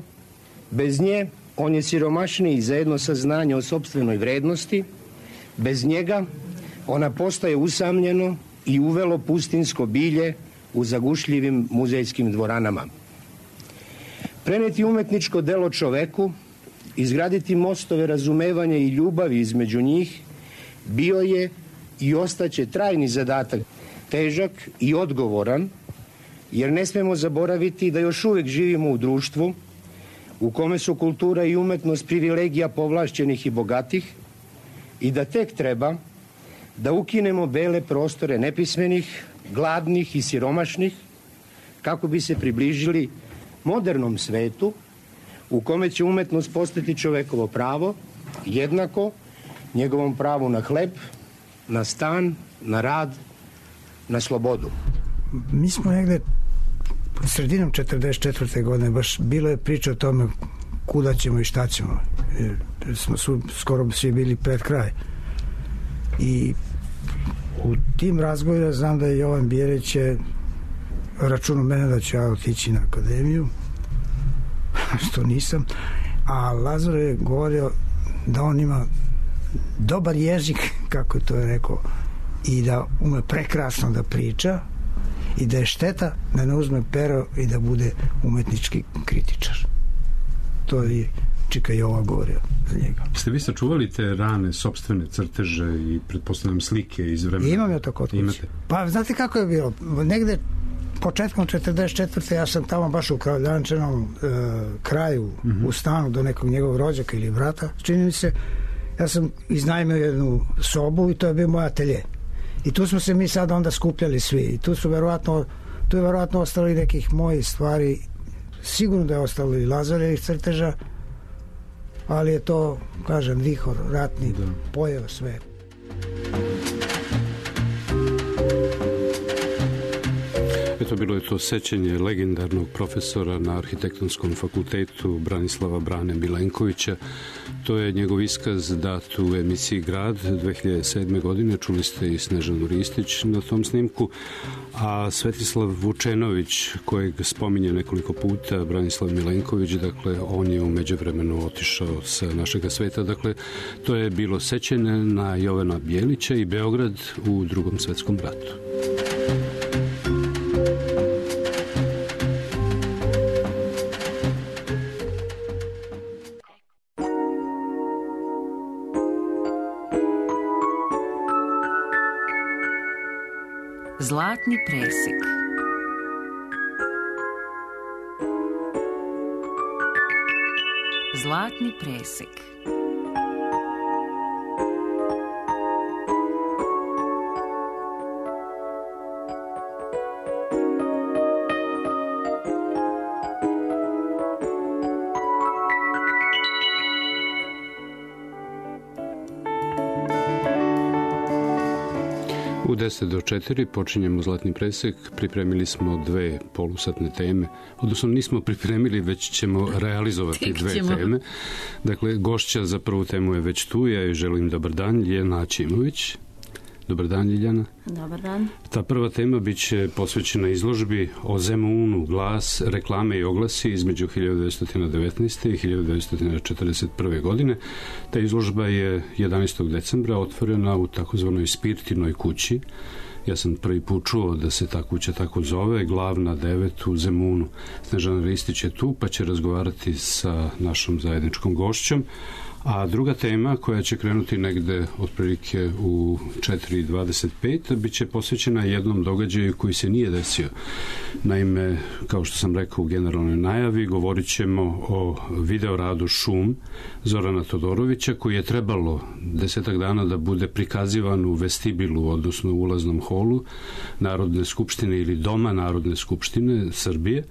Bez nje on je siromašniji za jedno saznanje o sopstvenoj vrednosti. Bez njega ona postaje usamljeno i uvelo pustinsko bilje u zagušljivim muzejskim dvoranama. Preneti umetničko delo čoveku, izgraditi mostove razumevanja i ljubavi između njih, bio je i ostaće trajni zadatak, težak i odgovoran, jer ne smemo zaboraviti da još uvijek živimo u društvu u kome su kultura i umetnost privilegija povlašćenih i bogatih i da tek treba da ukinemo bele prostore nepismenih, gladnih i siromašnih kako bi se približili modernom svetu u kome će umetnost postati čovekovo pravo, jednako njegovom pravu na hleb, na stan, na rad, na slobodu. Mi smo negde sredinom četrdeset četvrte godine, baš bilo je priča o tome kuda ćemo i šta ćemo. Jer smo su, skoro svi bili pred kraj. I u tim razgovorima znam da je Jovan Bijelić je računao mene da ću ja otići na akademiju, što nisam, a Lazar je govorio da on ima dobar jezik, kako to je rekao, i da ume prekrasno da priča i da je šteta da ne uzme pero i da bude umetnički kritičar. To je Čika Jova govorio za njega. Ste vi sačuvali te rane sopstvene crteže i pretpostavljam slike iz vremena? Imam ja to kod kuće. Pa znate kako je bilo? Negde početkom četrdeset četvrte ja sam tamo baš u Kraljančenom e, kraju, mm-hmm. u stanu do nekog njegovog rođaka ili brata, čini mi se, ja sam iznajmio jednu sobu i to je bio moj atelje. I tu smo se mi sad onda skupljali svi. I tu su verovatno, tu je verovatno ostali nekih mojih stvari, sigurno da je ostalo i Lazarevih crteža, ali je to, kažem, vihor ratni da. Pojeo sve. Eto, bilo je to sećanje legendarnog profesora na Arhitektonskom fakultetu Branislava Brane Milenkovića. To je njegov iskaz dat u emisiji Grad dve hiljade sedme. godine. Čuli ste i Snežanu Ristić na tom snimku. A Svetislav Vučenović, kojeg spominje nekoliko puta Branislav Milenković, dakle, on je u međuvremenu otišao sa našega sveta. Dakle, to je bilo sećanje na Jovana Bijelića i Beograd u Drugom svetskom ratu. Zlatni presek. Zlatni presek. U deset do četiri počinjemo Zlatni presek. Pripremili smo dve polusatne teme. Odnosno nismo pripremili, već ćemo realizovati dve teme. Dakle, gošća za prvu temu je već tu. Ja joj želim dobar dan. Ljena Ćimović. Dobar dan, Ljiljana. Dobar dan. Ta prva tema bit će posvećena izložbi o Zemunu, glas, reklame i oglasi između hiljadu devetsto devetnaeste. i hiljadu devetsto četrdeset prve. godine. Ta izložba je jedanaestog decembra otvorena u takozvanoj Spirtinoj kući. Ja sam prvi put čuo da se ta kuća tako zove, Glavna devet u Zemunu. Snežana Ristić je tu, pa će razgovarati sa našom zajedničkom gošćom. A druga tema koja će krenuti negde otprilike u četiri dvadeset pet bit će posvećena jednom događaju koji se nije desio. Naime, kao što sam rekao u generalnoj najavi, govorit ćemo o videoradu Šum Zorana Todorovića, koji je trebalo desetak dana da bude prikazivan u vestibilu, odnosno u ulaznom holu Narodne skupštine ili Doma Narodne skupštine Srbije.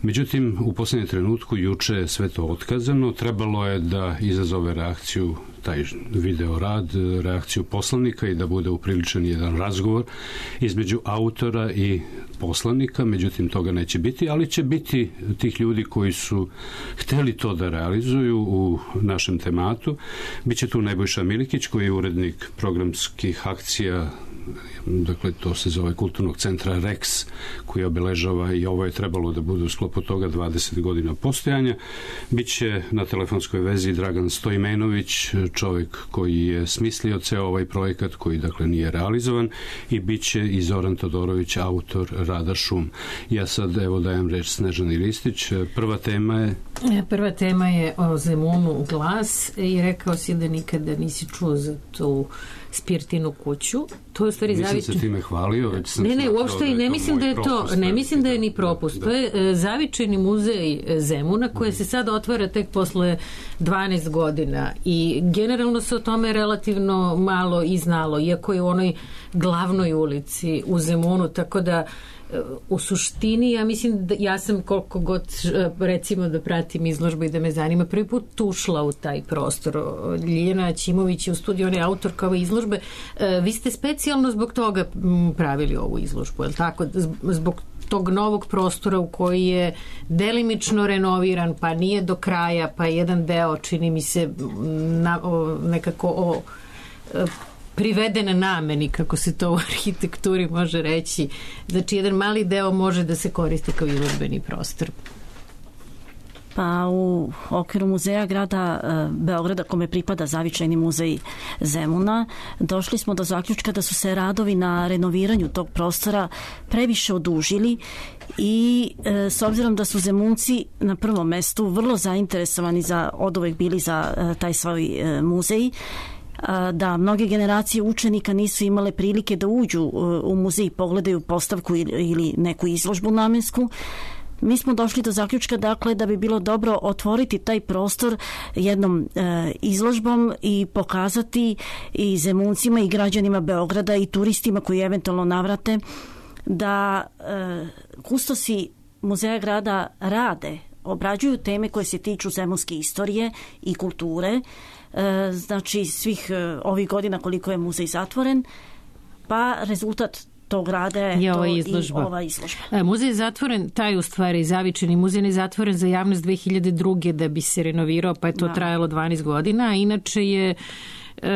Međutim, u poslednjem trenutku juče je sve to otkazano. Trebalo je da izazove reakciju taj video rad, reakciju poslanika i da bude upriličen jedan razgovor između autora i poslanika, međutim toga neće biti, ali će biti tih ljudi koji su hteli to da realizuju u našem tematu. Biće tu Nebojša Milikić koji je urednik programskih akcija, dakle to se zove Kulturnog centra Rex, koji obeležava, i ovo je trebalo da bude u sklopu toga, dvadeset godina postojanja. Biće na telefonskoj vezi Dragan Stojmenović, čovjek koji je smislio ceo ovaj projekat, koji dakle nije realizovan, i biće i Zoran Todorović, autor rada Šum. Ja sad evo dajem reč Snežani Ristić. Prva tema je... Prva tema je o Zemunu, glas, i rekao si da nikada nisi čuo za tu Spirtinu kuću. To je u stvari Nisam zavičaj. se time hvalio, već sam Ne, ne, smatrao uopšte da i je ne to mislim moj da je to, propust. ne mislim da je ni propust. To je e, zavičajni muzej Zemuna koji se sad otvara tek posle dvanaest godina i generalno se o tome relativno malo i znalo, iako je u onoj glavnoj ulici u Zemunu, tako da u suštini ja mislim da ja sam koliko god recimo da pratim izložbu i da me zanima, prvi put ušla u taj prostor. Ljiljana Ćimović je u studiju, ona je autorka ove izložbe. Vi ste specijalno zbog toga pravili ovu izložbu, je li tako? Zbog tog novog prostora u koji je delimično renoviran, pa nije do kraja, pa jedan deo čini mi se na, o, nekako o priveden nameni, kako se to u arhitekturi može reći. Znači, jedan mali deo može da se koristi kao izložbeni prostor. Pa u okviru muzeja grada Beograda, kome pripada zavičajni muzej Zemuna, došli smo do zaključka da su se radovi na renoviranju tog prostora previše odužili i e, s obzirom da su Zemunci na prvom mestu vrlo zainteresovani za, oduvek bili za e, taj svoj e, muzej, da mnoge generacije učenika nisu imale prilike da uđu u muzej i pogledaju postavku ili neku izložbu namensku. Mi smo došli do zaključka, dakle, da bi bilo dobro otvoriti taj prostor jednom e, izložbom i pokazati i Zemuncima i građanima Beograda i turistima koji eventualno navrate da e, kustosi muzeja grada rade, obrađuju teme koje se tiču zemunske istorije i kulture, znači svih ovih godina koliko je muzej zatvoren, pa rezultat tog rada je, je to izložba. I ova izložba. E, muzej je zatvoren, taj u stvari zavičajni muzej je zatvoren za javnost dve hiljade druge da bi se renovirao, pa je to da. trajalo dvanaest godina, a inače je E,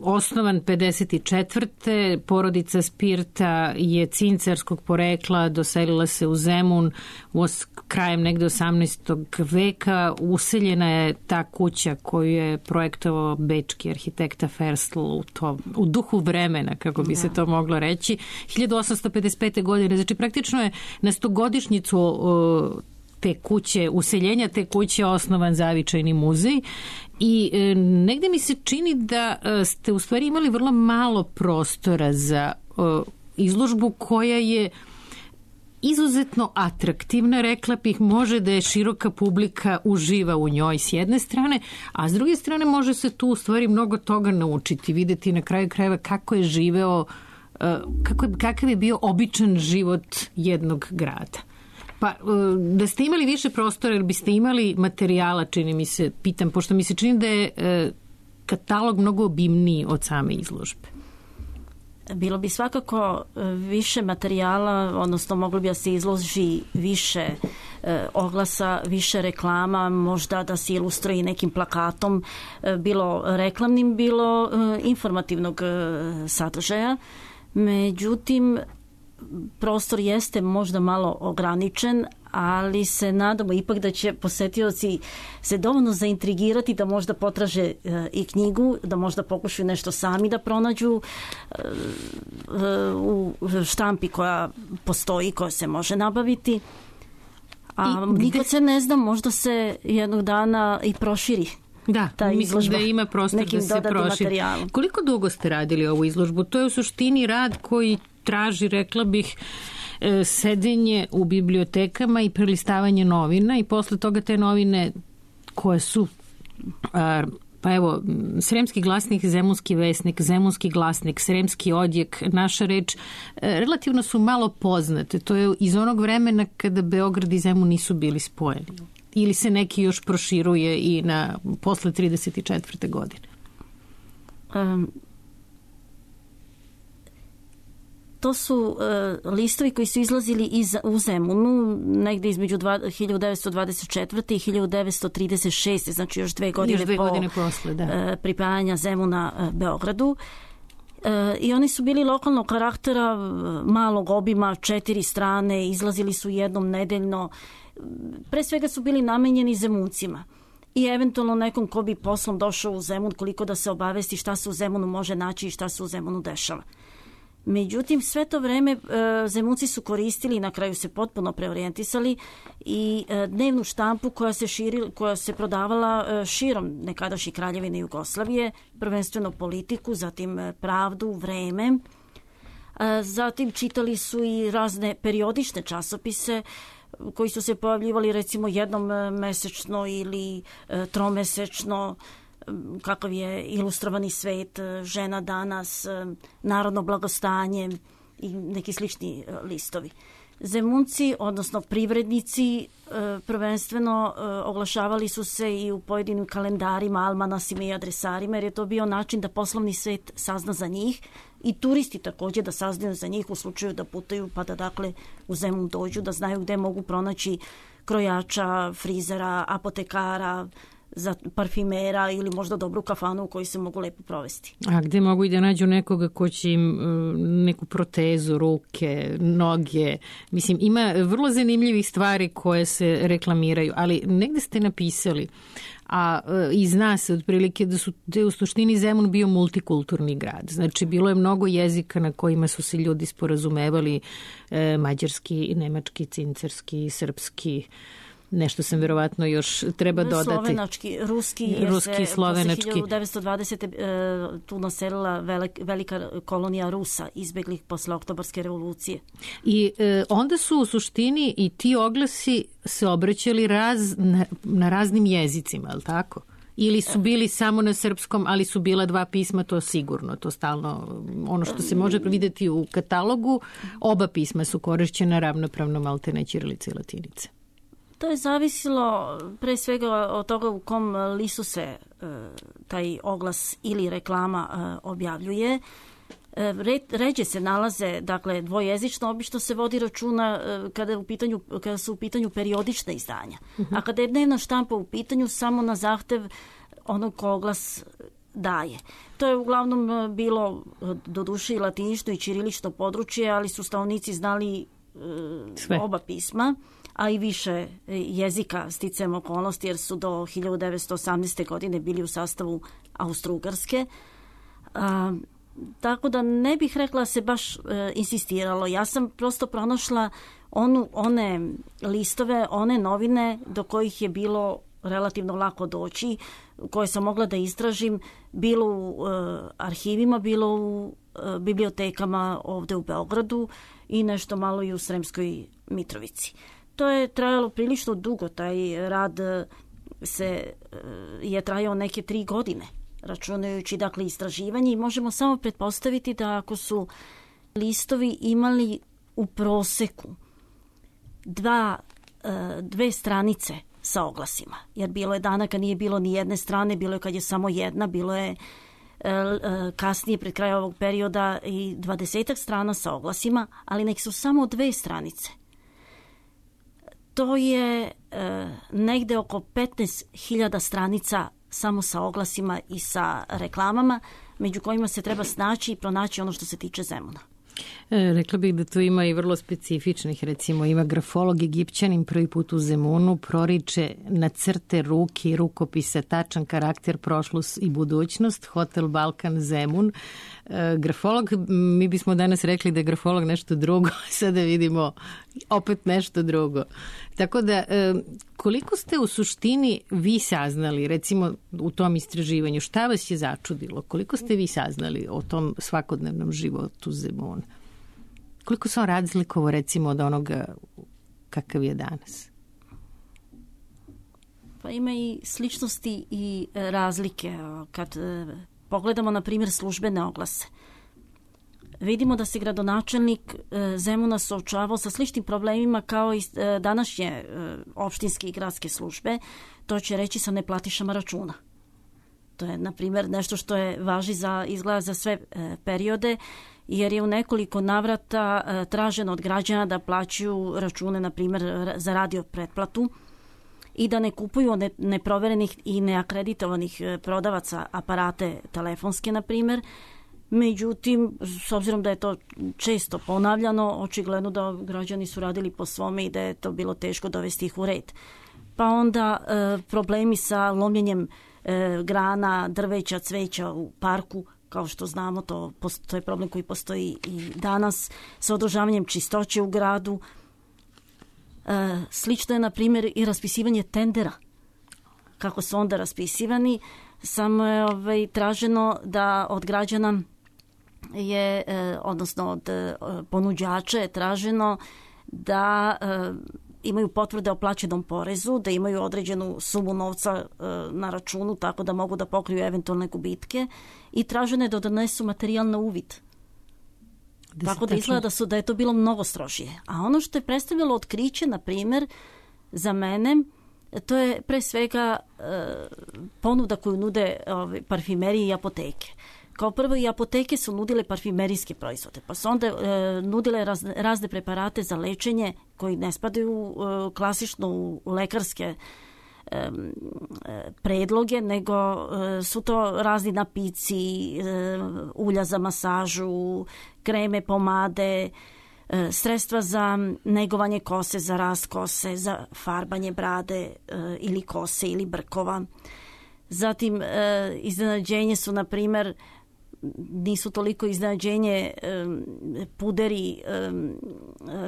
osnovan pedeset četvrte Porodica Spirta je cincarskog porekla, doselila se u Zemun u os, krajem negde osamnaestog veka. Useljena je ta kuća koju je projektovao bečki arhitekta Ferstl u, to, u duhu vremena, kako bi da. se to moglo reći, hiljadu osamsto pedeset pete. godine. Znači praktično je na stogodišnjicu o, te kuće, useljenja te kuće osnovan zavičajni muzej. I e, negde mi se čini da e, ste u stvari imali vrlo malo prostora za e, izložbu koja je izuzetno atraktivna, rekla bih, može da je široka publika uživa u njoj s jedne strane, a s druge strane može se tu u stvari mnogo toga naučiti, videti na kraju krajeva kako je živeo, e, kako je, kakav je bio običan život jednog grada. Pa, da ste imali više prostora, jer biste imali materijala, čini mi se, pitam, pošto mi se čini da je katalog mnogo obimniji od same izložbe. Bilo bi svakako više materijala, odnosno moglo bi da se izloži više oglasa, više reklama, možda da se ilustruje nekim plakatom, bilo reklamnim, bilo informativnog sadržaja. Međutim, prostor jeste možda malo ograničen, ali se nadamo ipak da će posetioci se dovoljno zaintrigirati da možda potraže i knjigu, da možda pokušaju nešto sami da pronađu u štampi koja postoji, koja se može nabaviti. A I, nikad se ne zna, možda se jednog dana i proširi. Da, mislim da ima prostor da se proširi. Koliko dugo ste radili ovu izložbu? To je u suštini rad koji traži, rekla bih, sedenje u bibliotekama i prelistavanje novina i posle toga te novine koje su pa evo, Sremski glasnik, Zemunski vesnik, Zemunski glasnik, Sremski odjek, Naša reč, relativno su malo poznate. To je iz onog vremena kada Beograd i Zemun nisu bili spojeni. Ili se neki još proširuje i na posle trideset četvrte godine? Um, to su uh, listovi koji su izlazili iz, u Zemunu negde između dva, hiljadu devetsto dvadeset četvrte i hiljadu devetsto trideset šeste znači još dve godine, još dve po godine posle, da. uh, pripajanja Zemuna uh, Beogradu. Uh, I oni su bili lokalnog karaktera, uh, malog obima, četiri strane, izlazili su jednom nedeljno. Pre svega su bili namenjeni Zemuncima i eventualno nekom ko bi poslom došao u Zemun, koliko da se obavesti šta se u Zemunu može naći i šta se u Zemunu dešava. Međutim, sve to vreme e, Zemunci su koristili i na kraju se potpuno preorijentisali i e, dnevnu štampu koja se, širi, koja se prodavala e, širom nekadašnje Kraljevine Jugoslavije, prvenstveno Politiku, zatim e, Pravdu, Vreme. E, zatim čitali su i razne periodične časopise koji su se pojavljivali recimo jednom mesečno ili e, tromesečno, kakav je Ilustrovani svet, Žena danas, Narodno blagostanje i neki slični listovi. Zemunci, odnosno privrednici, prvenstveno oglašavali su se i u pojedinim kalendarima, almanasima i adresarima, jer je to bio način da poslovni svet sazna za njih i turisti također da saznaju za njih u slučaju da putaju, pa da dakle u Zemun dođu, da znaju gde mogu pronaći krojača, frizera, apotekara, za parfimera ili možda dobru kafanu u kojoj se mogu lepo provesti. A gde mogu i da nađu nekoga ko će im neku protezu, ruke, noge? Mislim, ima vrlo zanimljivih stvari koje se reklamiraju, ali negde ste napisali, a i zna se otprilike da su da je u suštini Zemun bio multikulturni grad. Znači, bilo je mnogo jezika na kojima su se ljudi sporazumevali, e, mađarski, nemački, cincerski, srpski, nešto sam verovatno još treba dodati. Slovenački, ruski, ruski, se slovenački. Posle hiljadu devetsto dvadesete. tu naselila velik, velika kolonija Rusa, izbeglih posle Oktobarske revolucije. I e, onda su u suštini i ti oglasi se obraćali raz, na, na raznim jezicima, je li tako? Ili su bili samo na srpskom, ali su bila dva pisma, to sigurno, to stalno, ono što se može videti u katalogu, oba pisma su korišćena ravnopravno, maltene ćirilice i latinice. To je zavisilo pre svega od toga u kom listu se e, taj oglas ili reklama e, objavljuje. E, re, ređe se nalaze, dakle, dvojezično, obično se vodi računa e, kada, je u pitanju, kada su u pitanju periodična izdanja. Uh-huh. A kada je dnevna štampa u pitanju, samo na zahtev onog ko oglas daje. To je uglavnom bilo doduše i latinično i ćirilično područje, ali su stanovnici znali e, oba pisma, a i više jezika sticajem okolnosti, jer su do hiljadu devetsto osamnaeste. godine bili u sastavu Austro-Ugarske. A, tako da ne bih rekla se baš e, insistiralo. Ja sam prosto pronašla onu, one listove, one novine do kojih je bilo relativno lako doći, koje sam mogla da istražim, bilo u e, arhivima, bilo u e, bibliotekama ovde u Beogradu i nešto malo i u Sremskoj Mitrovici. To je trajalo prilično dugo, taj rad se je trajao neke tri godine, računajući dakle istraživanje, i možemo samo pretpostaviti da ako su listovi imali u proseku dva, dve stranice sa oglasima, jer bilo je dana kad nije bilo ni jedne strane, bilo je kad je samo jedna, bilo je kasnije pred kraja ovog perioda i dvadesetak strana sa oglasima, ali nek su samo dve stranice. To je e, negde oko petnaest hiljada stranica samo sa oglasima i sa reklamama, među kojima se treba snaći i pronaći ono što se tiče Zemuna. E, rekla bih da tu ima i vrlo specifičnih, recimo ima grafolog Egipćanin prvi put u Zemunu, proriče na crte ruke i rukopisa tačan karakter, prošlost i budućnost, Hotel Balkan Zemun. E, grafolog, mi bismo danas rekli da je grafolog nešto drugo, sada vidimo opet nešto drugo. Tako da, e, koliko ste u suštini vi saznali, recimo u tom istraživanju, šta vas je začudilo? Koliko ste vi saznali o tom svakodnevnom životu Zemuna? Koliko se on razlikovao recimo od onoga kakav je danas? Pa ima i sličnosti i razlike. Kad pogledamo na primjer službene oglase, vidimo da se gradonačelnik Zemuna suočavao sa sličnim problemima kao i današnje opštinske i gradske službe. To će reći sa neplatišama računa. To je, na primjer, nešto što je važi za izgleda za sve periode, jer je u nekoliko navrata traženo od građana da plaćaju račune, na primjer, za radio pretplatu i da ne kupuju ne, neproverenih i neakreditovanih prodavaca aparate telefonske, na primjer. Međutim, s obzirom da je to često ponavljano, očigledno da građani su radili po svome i da je to bilo teško dovesti ih u red. Pa onda e, problemi sa lomljenjem e, grana, drveća, cveća u parku, kao što znamo, to, to je problem koji postoji i danas, sa održavanjem čistoće u gradu. E, slično je, na primjer, i raspisivanje tendera. Kako su onda raspisivani, samo je ovaj, traženo da od građana je, e, odnosno od e, ponuđača je traženo da e, imaju potvrde o plaćenom porezu, da imaju određenu sumu novca e, na računu, tako da mogu da pokriju eventualne gubitke, i traženo je da donesu materijal na uvid. Da tako da izgleda da, su, da je to bilo mnogo strožije. A ono što je predstavljalo otkriće, na primjer, za mene, to je pre svega e, ponuda koju nude ove, parfimerije i apoteke. Kao prvo, i apoteke su nudile parfimerijske proizvode, pa su onda e, nudile razne, razne preparate za lečenje koji ne spadaju e, klasično u, u lekarske e, predloge, nego e, su to razni napici, e, ulja za masažu, kreme, pomade, e, sredstva za negovanje kose, za rast kose, za farbanje brade e, ili kose ili brkova. Zatim, e, iznenađenje su, na primjer, nisu toliko iznenađenje um, puderi, um,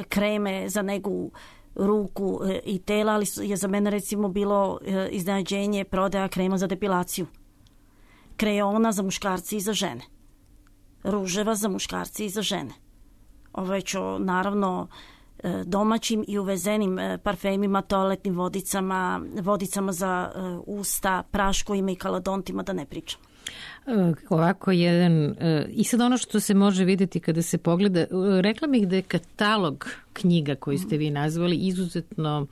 kreme za negu ruku e, i tela, ali je za mene recimo bilo e, iznenađenje prodaja krema za depilaciju, krejona za muškarci i za žene, ruževa za muškarci i za žene. Ovo je čo, naravno, e, domaćim i uvezenim e, parfemima, toaletnim vodicama, vodicama za e, usta, praškovima i kalodontima, da ne pričam. Ovako jedan, i sad ono što se može vidjeti kada se pogleda, rekla bih da je katalog knjiga koji ste vi nazvali izuzetno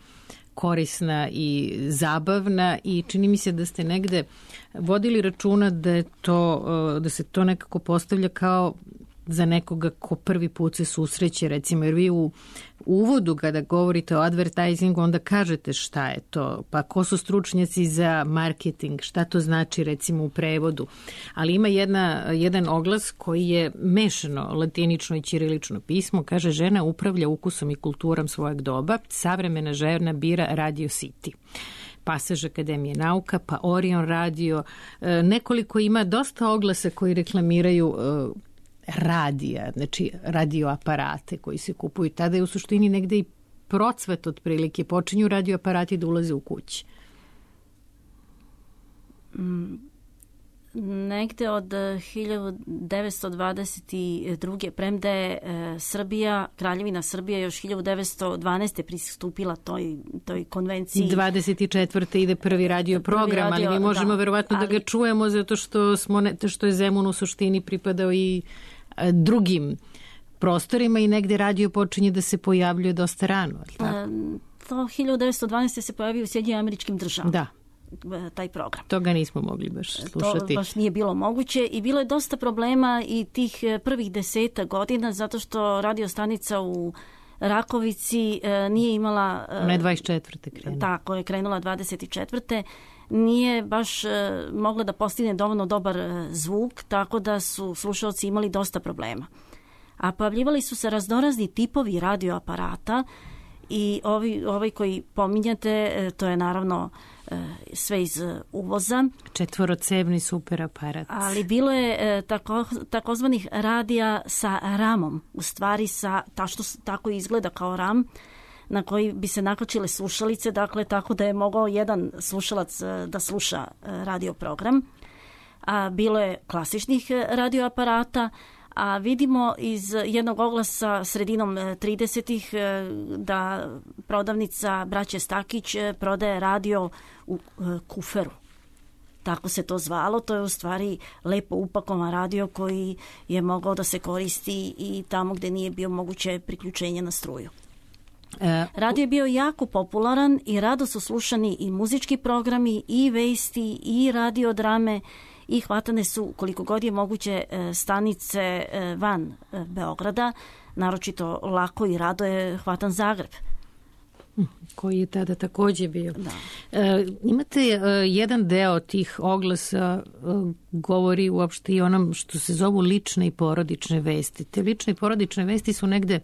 korisna i zabavna, i čini mi se da ste negde vodili računa da je to, da se to nekako postavlja kao za nekoga ko prvi put se susreće, recimo, jer vi u uvodu kada govorite o advertisingu onda kažete šta je to, pa ko su stručnjaci za marketing, šta to znači recimo u prevodu, ali ima jedna, jedan oglas koji je mešano latinično i ćirilično pismo, kaže: žena upravlja ukusom i kulturom svojeg doba, savremena žena bira Radio City. Pasaž Akademije nauka, pa Orion radio, nekoliko ima dosta oglasa koji reklamiraju radija, znači radioaparate koji se kupuju. Tada je u suštini negde i procvet otprilike, počinju radioaparati da ulaze u kući. Mm, negde od hiljadu devetsto dvadeset druge premda je e, Srbija, Kraljevina Srbija još hiljadu devetsto dvanaeste pristupila toj, toj konvenciji. dvadeset četvrte ide prvi radio program, prvi radio, ali mi možemo da, verovatno ali, da ga čujemo zato što, smo ne, što je Zemun u suštini pripadao i drugim prostorima i negde radio počinje da se pojavljuje dosta rano. A, to hiljadu devetsto dvanaeste se pojavio u Sjedinjenim Američkim Državama. Da. Taj program. Toga nismo mogli baš slušati. To baš nije bilo moguće i bilo je dosta problema i tih prvih deseta godina zato što radio stanica u Rakovici nije imala... Ne dvadeset četvrte krenula. Tako je, krenula dvadeset četvrte Nije baš mogla da postigne dovoljno dobar zvuk, tako da su slušalci imali dosta problema. A pojavljivali su se raznorazni tipovi radioaparata i ovi, ovaj koji pominjate, to je naravno sve iz uvoza. Četvorocevni super aparat. Ali bilo je tako, takozvanih radija sa ramom, u stvari sa, ta što tako izgleda kao ram, na koji bi se nakačile slušalice, dakle tako da je mogao jedan slušalac da sluša radio program. A bilo je klasičnih radioaparata, a vidimo iz jednog oglasa sredinom tridesetih da prodavnica braće Stakić prodaje radio u kuferu. Tako se to zvalo, to je u stvari lepo upakovan radio koji je mogao da se koristi i tamo gde nije bio moguće priključenje na struju. Radio je bio jako popularan i rado su slušani i muzički programi, i vesti, i radiodrame, i hvatane su koliko god je moguće stanice van Beograda, naročito lako i rado je hvatan Zagreb. Koji je tada takođe bio. Da. E, imate e, jedan deo tih oglasa e, govori uopšte i onom što se zovu lične i porodične vesti. Te lične i porodične vesti su negde,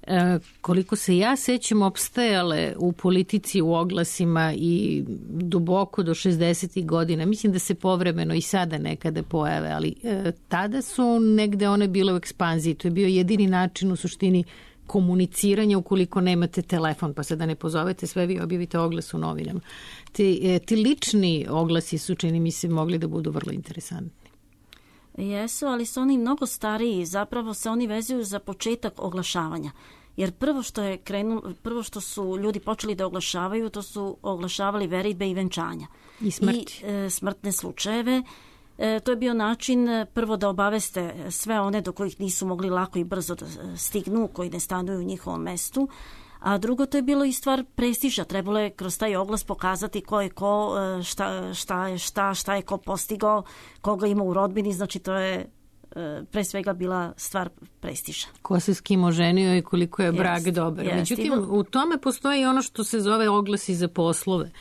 e, koliko se ja sećam, opstajale u politici, u oglasima i duboko do šezdesetih godina. Mislim da se povremeno i sada nekada pojave, ali e, tada su negde one bile u ekspanziji. To je bio jedini način u suštini komuniciranja ukoliko nemate telefon, pa sada ne pozovete sve, vi objavite oglas u novinama. Ti, ti lični oglasi su, čini mi se, mogli da budu vrlo interesantni. Jesu, ali su oni mnogo stariji, zapravo se oni vezuju za početak oglašavanja. Jer prvo što je krenulo, prvo što su ljudi počeli da oglašavaju, to su oglašavali veridbe i venčanja. I smrti. I e, smrtne slučajeve. E, to je bio način prvo da obaveste sve one do kojih nisu mogli lako i brzo da stignu, koji ne stanuju u njihovom mestu, a drugo to je bilo i stvar prestiža. Trebalo je kroz taj oglas pokazati ko je ko, šta, šta je šta, šta je ko postigao, koga ima u rodbini, znači to je pre svega bila stvar prestiža. Ko se s kim oženio i koliko je brak yes, dobar. Yes, Međutim, yes. u tome postoji ono što se zove oglasi za poslove.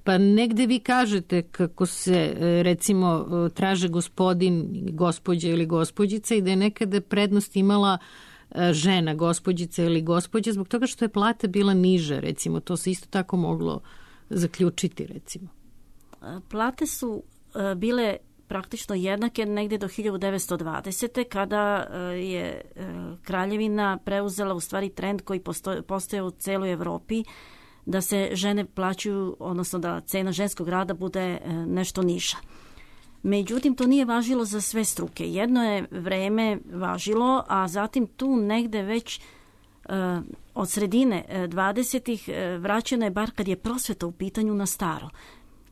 Pa negde vi kažete kako se recimo traže gospodin, gospođa ili gospođica i da je nekada prednost imala žena, gospođica ili gospođa zbog toga što je plata bila niža, recimo. To se isto tako moglo zaključiti, recimo. Plate su bile praktično jednake negde do hiljadu devetsto dvadesete kada je kraljevina preuzela u stvari trend koji postoje u celoj Evropi, da se žene plaćaju, odnosno da cena ženskog rada bude nešto niža. Međutim, to nije važilo za sve struke. Jedno je vreme važilo, a zatim tu negde već uh, od sredine dvadesetih uh, vraćeno je, bar kad je prosveta u pitanju, na staro.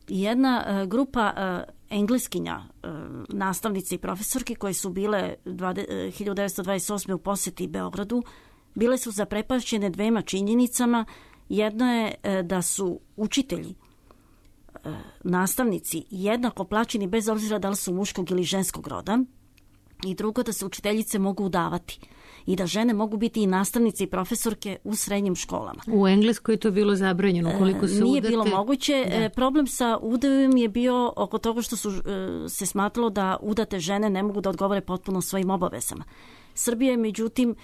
Jedna uh, grupa uh, engleskinja, uh, nastavnice i profesorki koje su bile hiljadu devetsto dvadeset osme u poseti Beogradu, bile su zaprepašćene dvema činjenicama. Jedno je da su učitelji, nastavnici jednako plaćeni bez obzira da li su muškog ili ženskog roda, i drugo da se učiteljice mogu udavati i da žene mogu biti i nastavnice i profesorke u srednjim školama. U Engleskoj je to bilo zabranjeno. Koliko se Nije udate... bilo moguće. Da. Problem sa udajem je bio oko toga što su se smatralo da udate žene ne mogu da odgovore potpuno svojim obavezama. Srbija je međutim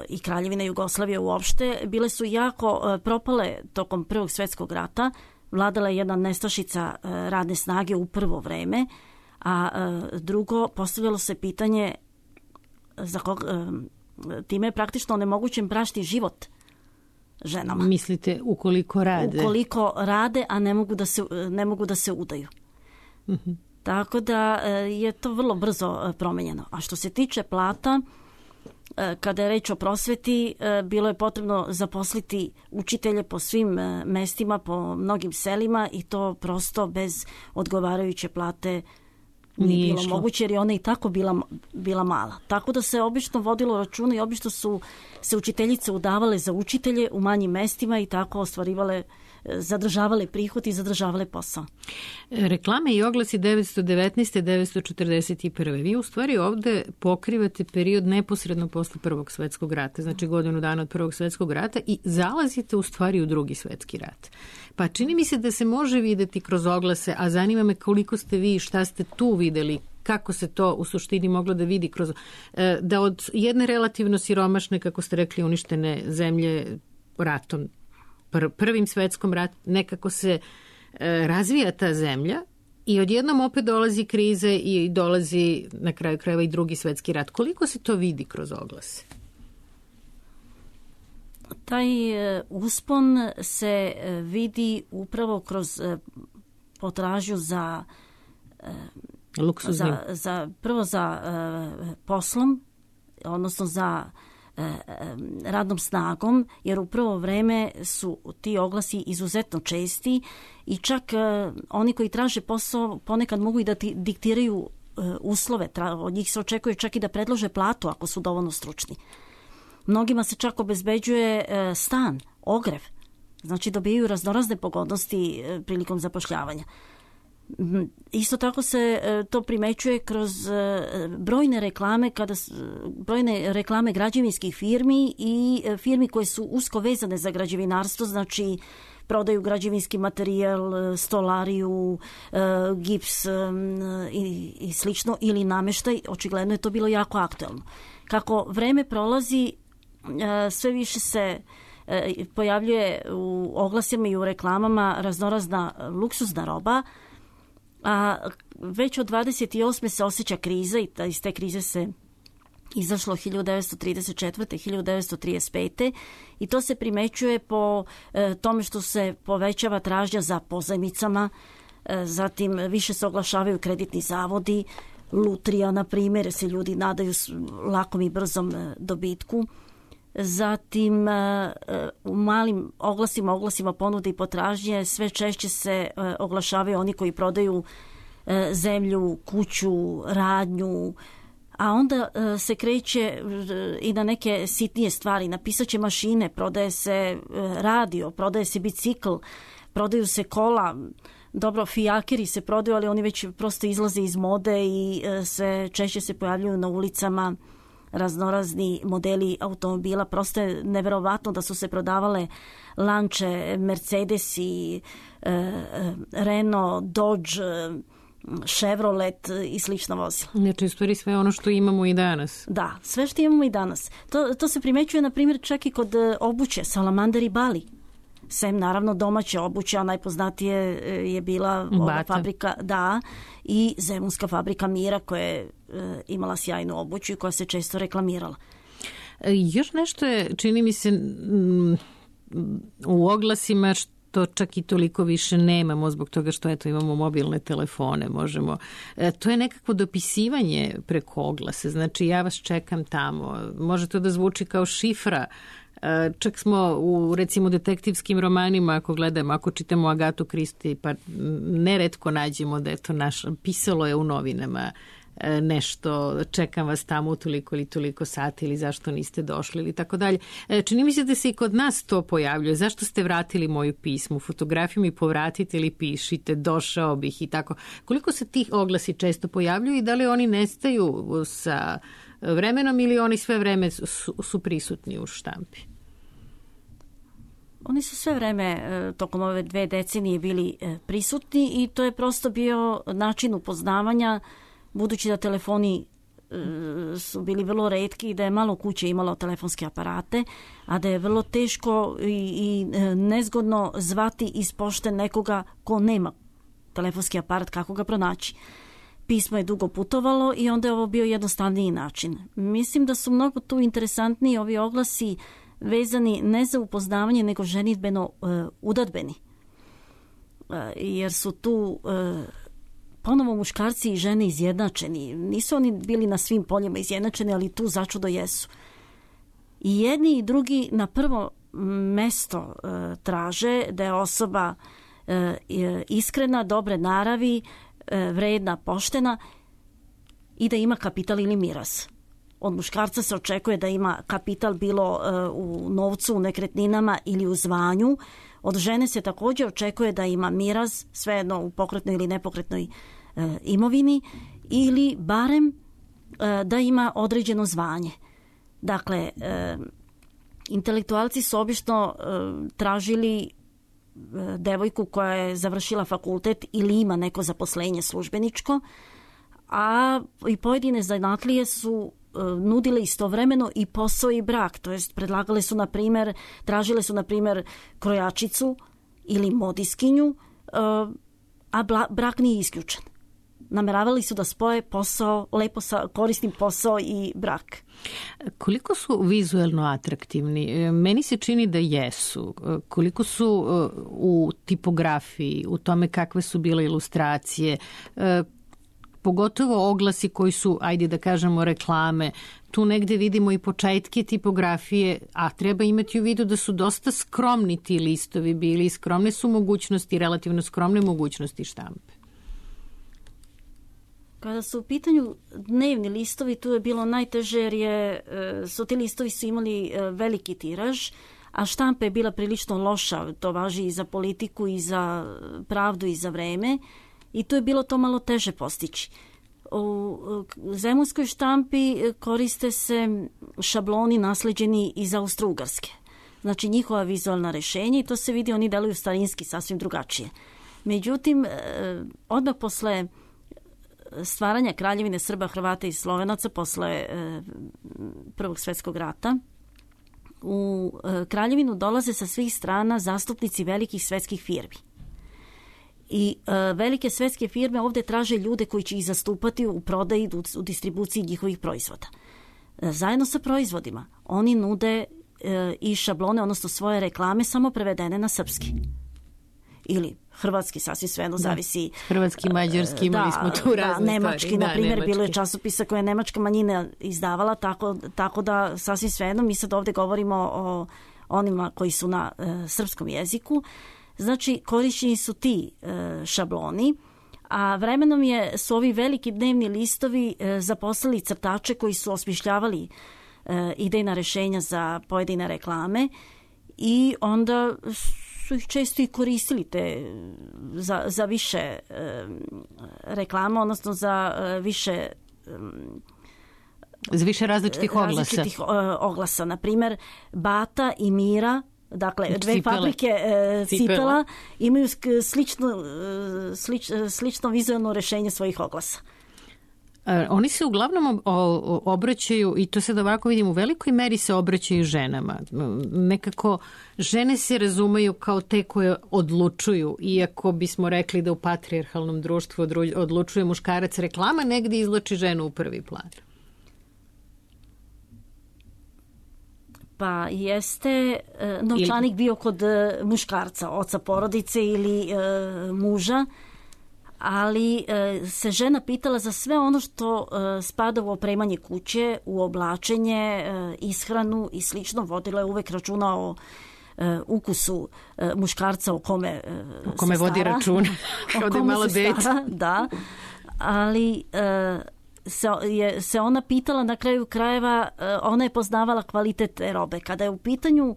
i Kraljevina Jugoslavija uopšte bile su jako propale tokom Prvog svjetskog rata. Vladala je jedna nestašica radne snage u prvo vreme, a drugo, postavljalo se pitanje za kog, time je praktično onemogućen bračni život ženama. Mislite ukoliko rade? Ukoliko rade, a ne mogu da se, ne mogu da se udaju. Uh-huh. Tako da je to vrlo brzo promenjeno. A što se tiče plata, kada je reč o prosveti, bilo je potrebno zaposliti učitelje po svim mestima, po mnogim selima, i to prosto bez odgovarajuće plate nije, nije bilo išlo. moguće jer je ona i tako bila, bila mala. Tako da se obično vodilo računa i obično su se učiteljice udavale za učitelje u manjim mestima i tako ostvarivale, zadržavale prihod i zadržavale posao. Reklame i oglasi devetsto devetnaeste. devetsto četrdeset prve. Vi u stvari ovde pokrivate period neposredno posle Prvog svetskog rata, znači godinu dana od Prvog svetskog rata i zalazite u stvari u Drugi svetski rat. Pa čini mi se da se može videti kroz oglase, a zanima me koliko ste vi, šta ste tu videli, kako se to u suštini moglo da vidi kroz, da od jedne relativno siromašne, kako ste rekli, uništene zemlje ratom, Prvim svetskom ratu, nekako se e, razvija ta zemlja i odjednom opet dolazi krize i dolazi na kraju krajeva i Drugi svetski rat. Koliko se to vidi kroz oglase? Taj e, uspon se e, vidi upravo kroz e, potražnju za, e, za, za prvo za e, poslom, odnosno za radnom snagom, jer u prvo vreme su ti oglasi izuzetno česti i čak oni koji traže posao ponekad mogu i da ti diktiraju uslove. Od njih se očekuje čak i da predlože platu ako su dovoljno stručni. Mnogima se čak obezbeđuje stan, ogrev. Znači dobijaju raznorazne pogodnosti prilikom zapošljavanja. Isto tako se to primećuje kroz brojne reklame, kada brojne reklame građevinskih firmi i firmi koje su usko vezane za građevinarstvo, znači prodaju građevinski materijal, stolariju, gips i, i slično, ili nameštaj. Očigledno je to bilo jako aktuelno. Kako vreme prolazi, sve više se pojavljuje u oglasima i u reklamama raznorazna luksuzna roba, a već od dvadeset osme se osjeća kriza i iz te krize se izašlo hiljadu devetsto trideset četvrte. hiljadu devetsto trideset pete. i to se primećuje po e, tome što se povećava tražnja za pozajmicama, e, zatim više se oglašavaju kreditni zavodi, lutrija, na primjer, se ljudi nadaju lakom i brzom e, dobitku. Zatim u malim oglasima, oglasima ponude i potražnje sve češće se oglašavaju oni koji prodaju zemlju, kuću, radnju, a onda se kreće i na neke sitnije stvari. Na pisaće mašine, prodaje se radio, prodaje se bicikl, prodaju se kola. Dobro, fijakeri se prodaju, ali oni već prosto izlaze iz mode i sve češće se pojavljuju na ulicama raznorazni modeli automobila. Prosto je neverovatno da su se prodavale Lanče, Mercedesi, Renault, Dodge, Chevrolet i slična vozila. Znači, u stvari sve ono što imamo i danas. Da, sve što imamo i danas. To, to se primećuje, na primjer, čak i kod obuće, Salamander i Bali. Sem, naravno, domaće obuće, a najpoznatije je bila ova fabrika, da, i zemunska fabrika Mira, koja je e, imala sjajnu obuću i koja se često reklamirala. E, još nešto je, čini mi se, m, u oglasima što čak i toliko više nemamo zbog toga što eto imamo mobilne telefone, možemo. E, to je nekakvo dopisivanje preko oglase, znači ja vas čekam tamo. Može to da zvuči kao šifra. Čak smo u, recimo, detektivskim romanima, ako gledamo, ako čitamo Agatu Kristi, pa neretko nađemo da je to naš, pisalo je u novinama nešto, čekam vas tamo u toliko ili toliko sati ili zašto niste došli ili tako dalje. Čini mi se da se i kod nas to pojavljuje. Zašto ste vratili moju pismu? Fotografiju mi povratite ili pišite, došao bih i tako. Koliko se tih oglasi često pojavljuju i da li oni nestaju sa vremenom ili oni sve vreme su, su prisutni u štampi? Oni su sve vreme tokom ove dve decenije bili prisutni i to je prosto bio način upoznavanja, budući da telefoni su bili vrlo retki i da je malo kuće imalo telefonske aparate, a da je vrlo teško i, i nezgodno zvati iz pošte nekoga ko nema telefonski aparat, kako ga pronaći. Pismo je dugo putovalo i onda je ovo bio jednostavniji način. Mislim da su mnogo tu interesantniji ovi oglasi vezani ne za upoznavanje, nego ženidbeno uh, udadbeni. Uh, jer su tu uh, ponovo muškarci i žene izjednačeni. Nisu oni bili na svim poljima izjednačeni, ali tu začudo jesu. I jedni i drugi na prvo mesto uh, traže da je osoba uh, iskrena, dobre naravi, vredna, poštena, i da ima kapital ili miraz. Od muškarca se očekuje da ima kapital bilo u novcu, u nekretninama ili u zvanju. Od žene se također očekuje da ima miraz, svejedno u pokretnoj ili nepokretnoj imovini, ili barem da ima određeno zvanje. Dakle, intelektualci su obično tražili devojku koja je završila fakultet ili ima neko zaposlenje službeničko, a i pojedine zanatlije su nudile istovremeno i posao i brak, to jest predlagale su, na primjer, tražile su, na primjer, krojačicu ili modiskinju, a brak nije isključen. Nameravali su da spoje posao, lepo sa korisnim posao i brak. Koliko su vizuelno atraktivni? Meni se čini da jesu. Koliko su u tipografiji, u tome kakve su bile ilustracije, pogotovo oglasi koji su, ajde da kažemo, reklame. Tu negde vidimo i početke tipografije, a treba imati u vidu da su dosta skromni ti listovi bili. Skromne su mogućnosti, relativno skromne mogućnosti štampe. Kada su u pitanju dnevni listovi, tu je bilo najteže jer je, su ti listovi su imali veliki tiraž, a štampa je bila prilično loša. To važi i za politiku, i za pravdu, i za vreme. I tu je bilo to malo teže postići. U zemunskoj štampi koriste se šabloni nasleđeni iz Austro-Ugarske. Znači njihova vizualna rešenja, i to se vidi, oni deluju starinski, sasvim drugačije. Međutim, odmah posle stvaranja Kraljevine Srba, Hrvata i Slovenaca, posle Prvog svjetskog rata, u Kraljevinu dolaze sa svih strana zastupnici velikih svetskih firmi. I uh, velike svetske firme ovdje traže ljude koji će ih zastupati u prodaji, u, u distribuciji njihovih proizvoda. Uh, zajedno sa proizvodima oni nude uh, i šablone, odnosno svoje reklame, samo prevedene na srpski. Ili hrvatski, sasvim svejedno, zavisi. Hrvatski, mađarski, imali da, smo tu razne da, nemački, stvari. na primjer, nemački. bilo je časopisa koje je nemačka manjina izdavala, tako, tako da sasvim svejedno, mi sad ovdje govorimo o onima koji su na uh, srpskom jeziku. Znači, korišćeni su ti e, šabloni, a vremenom je, su ovi veliki dnevni listovi e, zaposlili crtače koji su osmišljavali e, idejna rešenja za pojedine reklame i onda su ih često i koristili te za, za više e, reklama, odnosno za e, više e, za više različitih oglasa. Različitih e, oglasa. Na primjer, Bata i Mira, dakle, dve cipele. fabrike e, cipela. cipela imaju slično, slič, slično vizualno rešenje svojih oglasa. E, oni se uglavnom obraćaju, i to sad ovako vidim, u velikoj meri se obraćaju ženama. Nekako žene se razumeju kao te koje odlučuju, iako bismo rekli da u patrijarhalnom društvu odlučuje muškarac, reklama negdje izvlači ženu u prvi plan. Pa jeste novčanik bio kod muškarca, oca porodice ili e, muža, ali e, se žena pitala za sve ono što e, spada u opremanje kuće, u oblačenje, e, ishranu i slično. Vodila je uvek računa o e, ukusu e, muškarca o kome, e, o kome se vodi stara. računa, kao da je malo dete. Da, ali E, Se, je, se ona pitala na kraju krajeva, ona je poznavala kvalitet te robe. Kada je u pitanju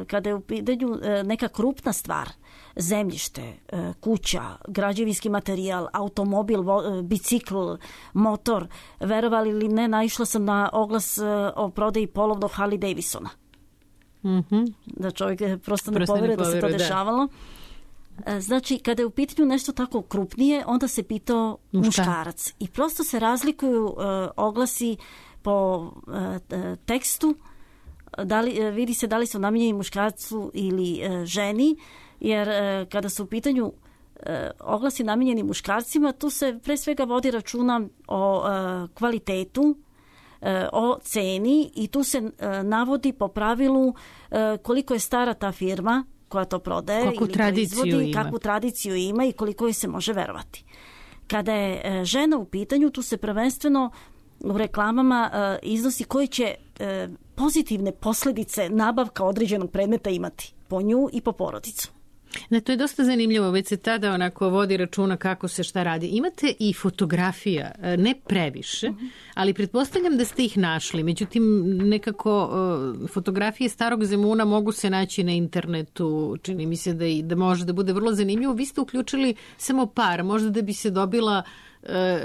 kada je u pitanju neka krupna stvar, zemljište, kuća, građevinski materijal, automobil, bicikl, motor, verovali ili ne, naišla sam na oglas o prodaji polovnog Harley Davidsona. Mm-hmm. Da čovjek prosto ne povere da se to dešavalo. Znači, kada je u pitanju nešto tako krupnije, onda se pitao muškarac. I prosto se razlikuju uh, oglasi po uh, tekstu, da li, uh, vidi se da li su namijenjeni muškarcu ili uh, ženi, jer uh, kada su u pitanju uh, oglasi namijenjeni muškarcima, tu se pre svega vodi računa o uh, kvalitetu, uh, o ceni, i tu se uh, navodi po pravilu uh, koliko je stara ta firma koja to prodaje kakvu ili proizvodi, kakvu tradiciju ima i koliko joj se može verovati. Kada je e, žena u pitanju, tu se prvenstveno u reklamama e, iznosi koje će e, pozitivne posljedice nabavka određenog predmeta imati po nju i po porodicu. Ne, to je dosta zanimljivo, već se tada onako vodi računa kako se šta radi. Imate i fotografija, ne previše, ali pretpostavljam da ste ih našli. Međutim, nekako fotografije starog Zemuna mogu se naći na internetu, čini mi se da, i, da može da bude vrlo zanimljivo. Vi ste uključili samo par, možda da bi se dobila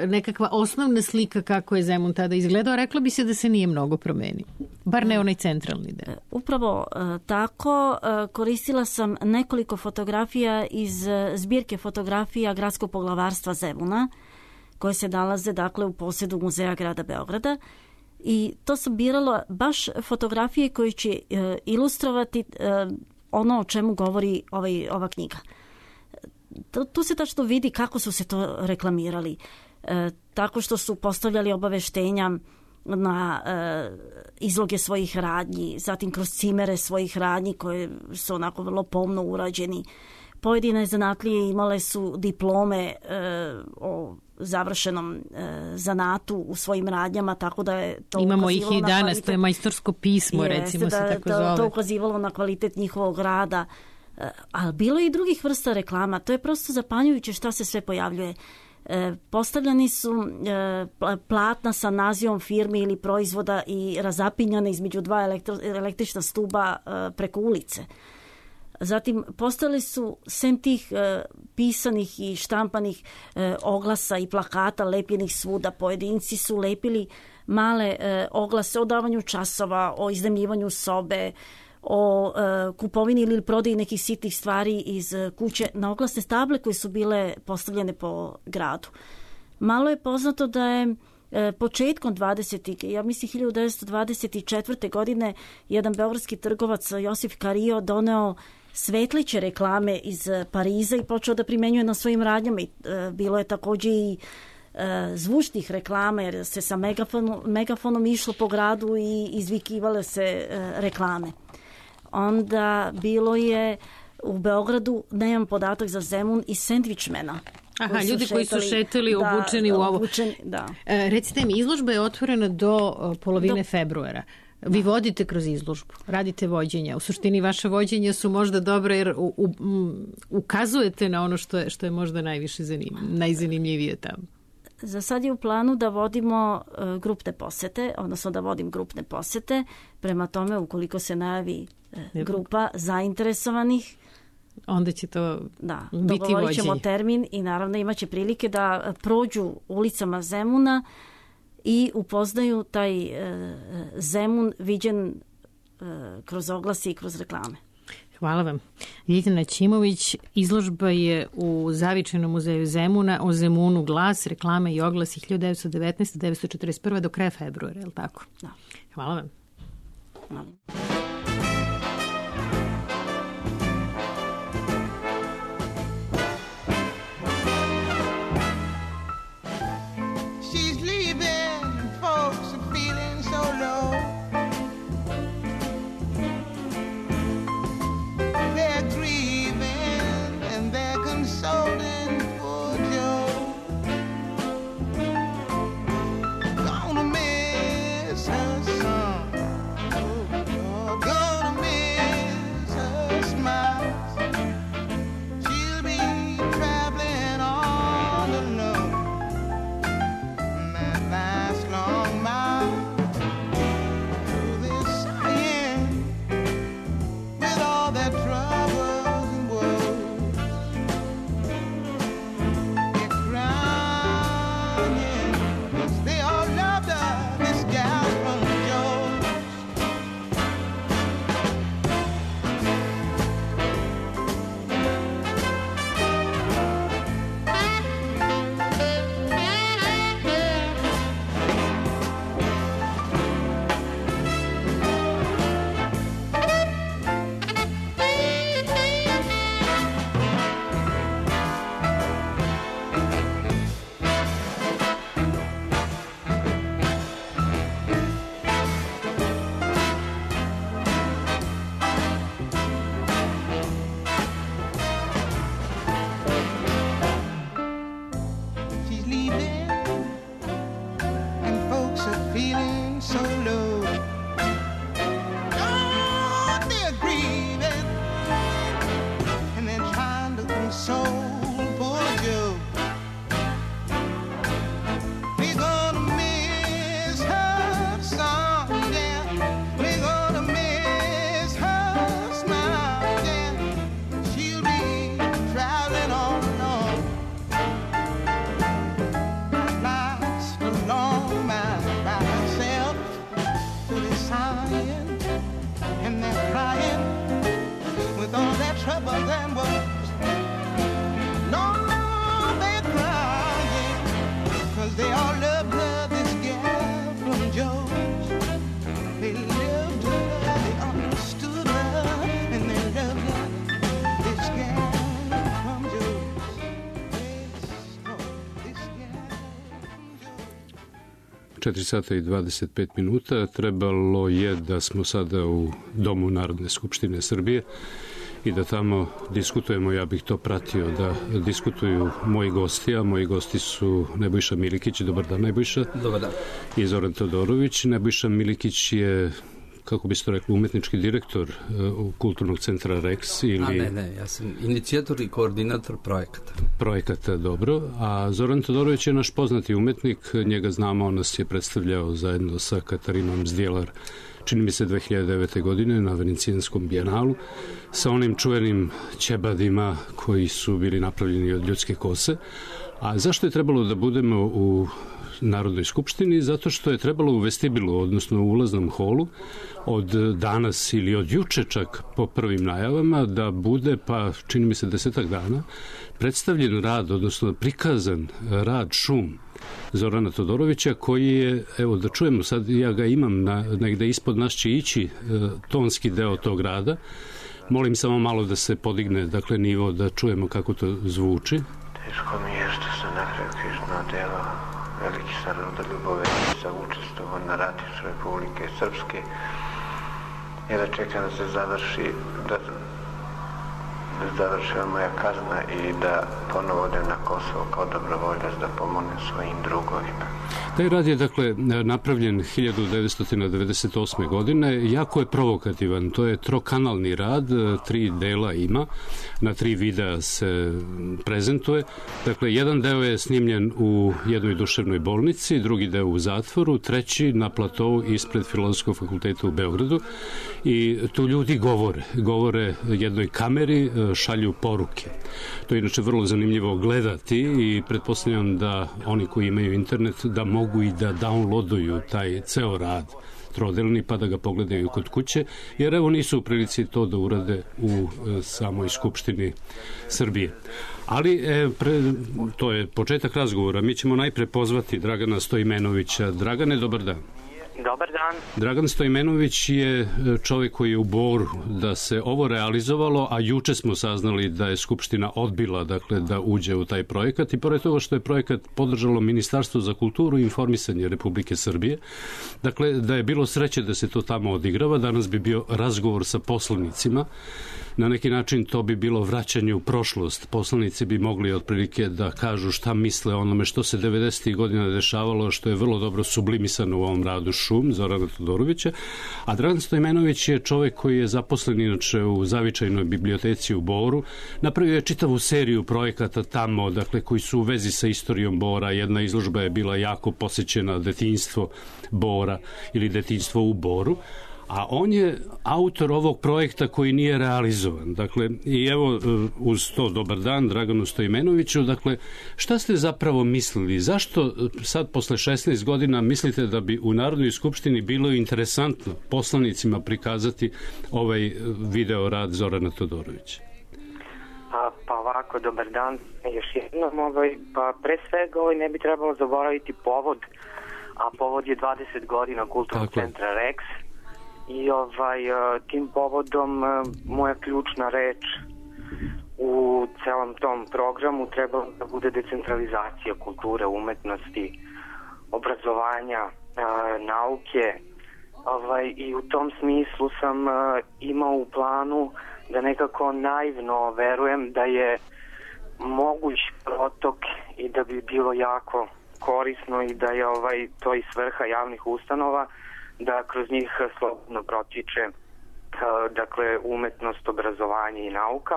nekakva osnovna slika kako je Zemun tada izgledao, rekla bi se da se nije mnogo promenio. Bar ne onaj centralni deo. Upravo tako. Koristila sam nekoliko fotografija iz zbirke fotografija Gradskog poglavarstva Zemuna, koje se nalaze dakle u posjedu Muzeja grada Beograda. I to sam birala baš fotografije koje će ilustrovati ono o čemu govori ovaj, ova knjiga. Tu se tačno vidi kako su se to reklamirali. E, tako što su postavljali obaveštenja na e, izloge svojih radnji, zatim kroz cimere svojih radnji koje su onako vrlo pomno urađeni. Pojedine zanatlije imale su diplome e, o završenom e, zanatu u svojim radnjama, tako da je to imamo ih i danas, kvalitet, to je majstorsko pismo, jeste, recimo se da, tako da, zove. To ukazivalo na kvalitet njihovog rada. Ali bilo je i drugih vrsta reklama. To je prosto zapanjujuće šta se sve pojavljuje. E, postavljani su e, platna sa nazivom firmi ili proizvoda i razapinjane između dva elektro, električna stuba e, preko ulice. Zatim postavili su sem tih e, pisanih i štampanih e, oglasa i plakata lepljenih svuda. Pojedinci su lepili male e, oglase o davanju časova, o iznajmljivanju sobe, o e, kupovini ili prodaji nekih sitnih stvari iz kuće na oglasne table koje su bile postavljene po gradu. Malo je poznato da je e, početkom dvadesetih, ja mislim hiljadu devetsto dvadeset četvrte. godine, jedan beogradski trgovac Josif Kario doneo svetleće reklame iz Pariza i počeo da primenjuje na svojim radnjama. I, e, bilo je također i e, zvučnih reklama jer se sa megafonom, megafonom išlo po gradu i izvikivale se e, reklame. Onda bilo je u Beogradu, nemam podatak za Zemun, i sendvičmena. Aha, koji ljudi koji su šetali da, obučeni u ovo. Obučeni, da. E, recite mi, izložba je otvorena do polovine do... februara. Vi vodite kroz izložbu, radite vođenja. U suštini vaše vođenja su možda dobre jer u, u, um, ukazujete na ono što je, što je možda najviše zanim, najzanimljivije tamo. Za sad je u planu da vodimo uh, grupne posete, odnosno da vodim grupne posete. Prema tome, ukoliko se najavi uh, grupa zainteresovanih, onda će to da, biti vođenje. Dogovorit ćemo termin i naravno imaće prilike da prođu ulicama Zemuna i upoznaju taj uh, Zemun viđen uh, kroz oglase i kroz reklame. Hvala vam. Ljiljana Ćimović, izložba je u Zavičajnom muzeju Zemuna o Zemunu, glas, reklame i oglasi hiljadu devetsto devetnaeste do devetsto četrdeset prve do kraja februara, je li tako? Da. Hvala vam. Hvala. Gonna miss her son. Oh, troubles and woes. No, no, they're crying, 'cause they all loved her, this gal from Joe's. They loved her, they understood her, and they loved her, this gal from Joe's. četiri sata i dvadeset pet minuta. Trebalo je da smo sada u Domu Narodne skupštine Srbije i da tamo diskutujemo. Ja bih to pratio, da diskutuju moji gosti, a moji gosti su Nebojša Milikić. Dobar dan, Nebojša. Dobar dan. I Zoran Todorović. Nebojša Milikić je, kako bi se to rekli, umetnički direktor uh, Kulturnog centra Rex ili... A ne, ne, ja sam inicijator i koordinator projekata. Projekata, dobro. A Zoran Todorović je naš poznati umetnik, njega znamo, on nas je predstavljao zajedno sa Katarinom Zdjelar, čini mi se dve hiljade devete. godine na Venecijanskom bijenalu, sa onim čuvenim ćebadima koji su bili napravljeni od ljudske kose. A zašto je trebalo da budemo u Narodnoj skupštini? Zato što je trebalo u vestibilu, odnosno u ulaznom holu, od danas ili od juče čak po prvim najavama, da bude, pa čini mi se desetak dana, predstavljen rad, odnosno prikazan rad Šum Zorana Todorovića, koji je, evo da čujemo sad, ja ga imam na, negde ispod nas će ići e, tonski deo tog rada. Molim samo malo da se podigne, dakle, nivo, da čujemo kako to zvuči. Teško mi je što se na kraju križno delo veliki Saroda Ljubovića učestvovao na ratištu Republike Srpske i da čekam da se završi, da, da završila moja kazna i da ponovo odem na Kosovo kao dobrovoljac da pomognem svojim drugovima. Taj rad je, dakle, napravljen hiljadu devetsto devedeset osme. godine. Jako je provokativan. To je trokanalni rad, tri dela ima, na tri videa se prezentuje. Dakle, jedan deo je snimljen u jednoj duševnoj bolnici, drugi deo u zatvoru, treći na platovu ispred Filozofskog fakulteta u Beogradu. I tu ljudi govore. Govore jednoj kameri, šalju poruke. To je inače vrlo zanimljivo gledati i pretpostavljam da oni koji imaju internet da mogu i da downloaduju taj ceo rad trodelni pa da ga pogledaju kod kuće, jer evo nisu u prilici to da urade u e, samoj Skupštini Srbije. Ali e, pre, to je početak razgovora. Mi ćemo najpre pozvati Dragana Stojmenovića. Dragane, dobar dan. Dobar dan. Dragan Stojmenović je čovjek koji je u Boru da se ovo realizovalo, a juče smo saznali da je Skupština odbila, dakle, da uđe u taj projekat, i pored toga što je projekat podržalo Ministarstvo za kulturu i informisanje Republike Srbije, dakle, da je bilo sreće da se to tamo odigrava, danas bi bio razgovor sa poslanicima. Na neki način to bi bilo vraćanje u prošlost. Poslanici bi mogli otprilike da kažu šta misle o onome što se devedesetih godina dešavalo, što je vrlo dobro sublimisano u ovom radu Šum Zorana Todorovića. A Dragan Stojmenović je čovjek koji je zaposlen inače u Zavičajnoj biblioteci u Boru. Napravio je čitavu seriju projekata tamo, dakle, koji su u vezi sa istorijom Bora. Jedna izložba je bila jako posjećena, detinjstvo Bora ili detinjstvo u Boru. A on je autor ovog projekta koji nije realizovan. Dakle, i evo, uz to dobar dan Draganu Stojmenoviću. Dakle, šta ste zapravo mislili? Zašto sad posle šesnaest godina mislite da bi u Narodnoj skupštini bilo interesantno poslanicima prikazati ovaj video rad Zorana Todorovića? A, pa ovako, dobar dan. Još jednom, ovaj, pa pre svega ovaj, ne bi trebalo zaboraviti povod, a povod je dvadeset godina Kulturnog centra Rex. I ovaj, tim povodom moja ključna reč u celom tom programu treba da bude decentralizacija kulture, umetnosti, obrazovanja, nauke. Ovaj, I u tom smislu sam imao u planu da nekako naivno verujem da je moguć protok i da bi bilo jako korisno i da je ovaj, to i svrha javnih ustanova, da kroz njih slobodno protiče dakle umetnost, obrazovanje i nauka.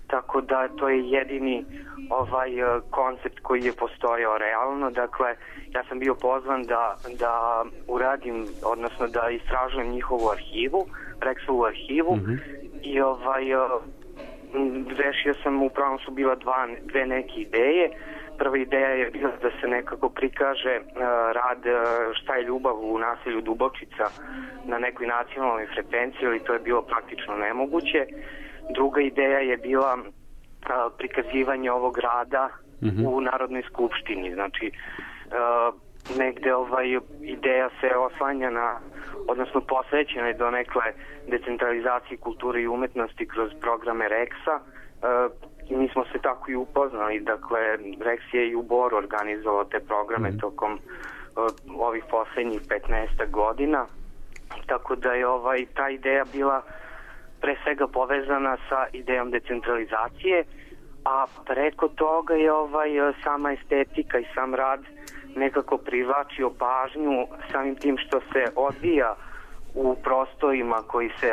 Tako da to je jedini ovaj koncept koji je postojao realno. Dakle, ja sam bio pozvan da, da uradim, odnosno da istražujem njihovu arhivu, Rexovu arhivu, mm-hmm. i ovaj rešio sam, upravo su bila dva, dve neke ideje. Prva ideja je bila da se nekako prikaže uh, rad uh, šta je ljubav u naselju Dubočica na nekoj nacionalnoj frekvenciji, ali to je bilo praktično nemoguće. druga ideja je bila a, prikazivanje ovog rada mm-hmm. u Narodnoj skupštini. Znači, a, negde ovaj ideja se oslanja na, odnosno posvećena je donekle decentralizaciji kulture i umetnosti kroz programe Reksa. I mi smo se tako i upoznali. Dakle, Reks je i u Boru organizovao te programe mm. tokom uh, ovih poslednjih petnaest godina. Tako da je ovaj, ta ideja bila pre svega povezana sa idejom decentralizacije, a preko toga je ovaj, sama estetika i sam rad nekako privlačio pažnju samim tim što se odvija u prostorima koji se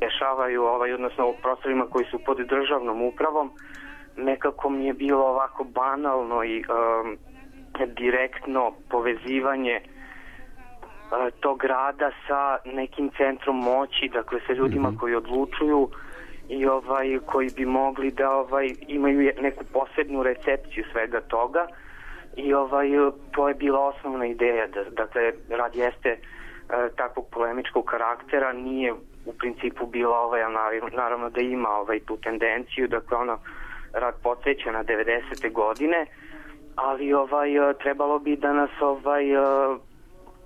dešavaju, ovaj, odnosno u prostorima koji su pod državnom upravom. Nekako mi je bilo ovako banalno i um, direktno povezivanje uh, tog rada sa nekim centrom moći, dakle sa ljudima mm-hmm. koji odlučuju i ovaj koji bi mogli da ovaj imaju neku posebnu recepciju svega toga. I ovaj to je bila osnovna ideja, da dakle rad jeste e, takvog polemičkog karaktera, nije u principu bila ovaj, naravno da ima ovaj tu tendenciju, dakle ono rad podsjeća na devedesete godine, ali ovaj trebalo bi da nas ovaj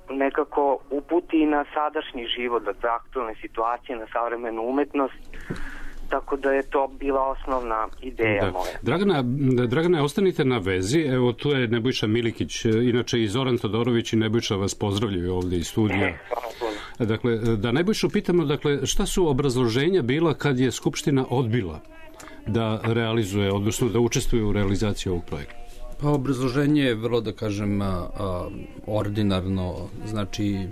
nekako uputi na sadašnji život, dakle aktualne situacije, na savremenu umetnost. Tako da je to bila osnovna ideja da. moja. Dragana, Dragana, ostanite na vezi. Evo, tu je Nebojša Milikić, inače i Zoran Todorović i Nebojša vas pozdravljaju ovde iz studija. E, dakle, da Nebojšu pitamo, dakle, šta su obrazloženja bila kad je Skupština odbila da realizuje, odnosno da učestvuje u realizaciji ovog projekta? Pa obrazloženje je vrlo, da kažem, a, a, ordinarno. Znači,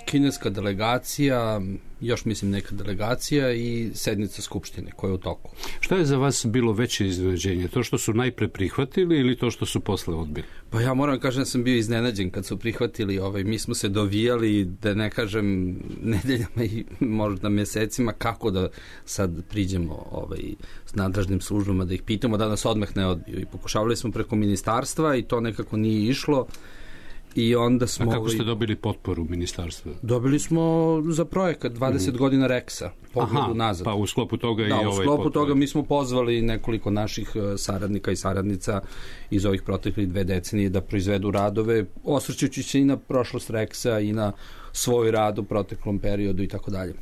kineska delegacija, još mislim neka delegacija i sednica Skupštine koja je u toku. Šta je za vas bilo veće iznenađenje? To što su najpre prihvatili ili to što su posle odbili? Pa ja moram kažem da sam bio iznenađen kad su prihvatili. Ovaj, mi smo se dovijali, da ne kažem nedeljama i možda mesecima, kako da sad priđemo ovaj, s nadležnim službama da ih pitamo da nas odmah ne odbiju. I pokušavali smo preko ministarstva i to nekako nije išlo. I onda smo... A kako ste dobili potporu ministarstva? Dobili smo za projekat dvadeset mm. godina Reksa, pogledu nazad. Pa u sklopu toga da, i ovaj potpor. Da, u sklopu toga mi smo pozvali nekoliko naših saradnika i saradnica iz ovih proteklih dve decenije da proizvedu radove, osvrćući se i na prošlost Reksa i na svoj rad u proteklom periodu i tako dalje.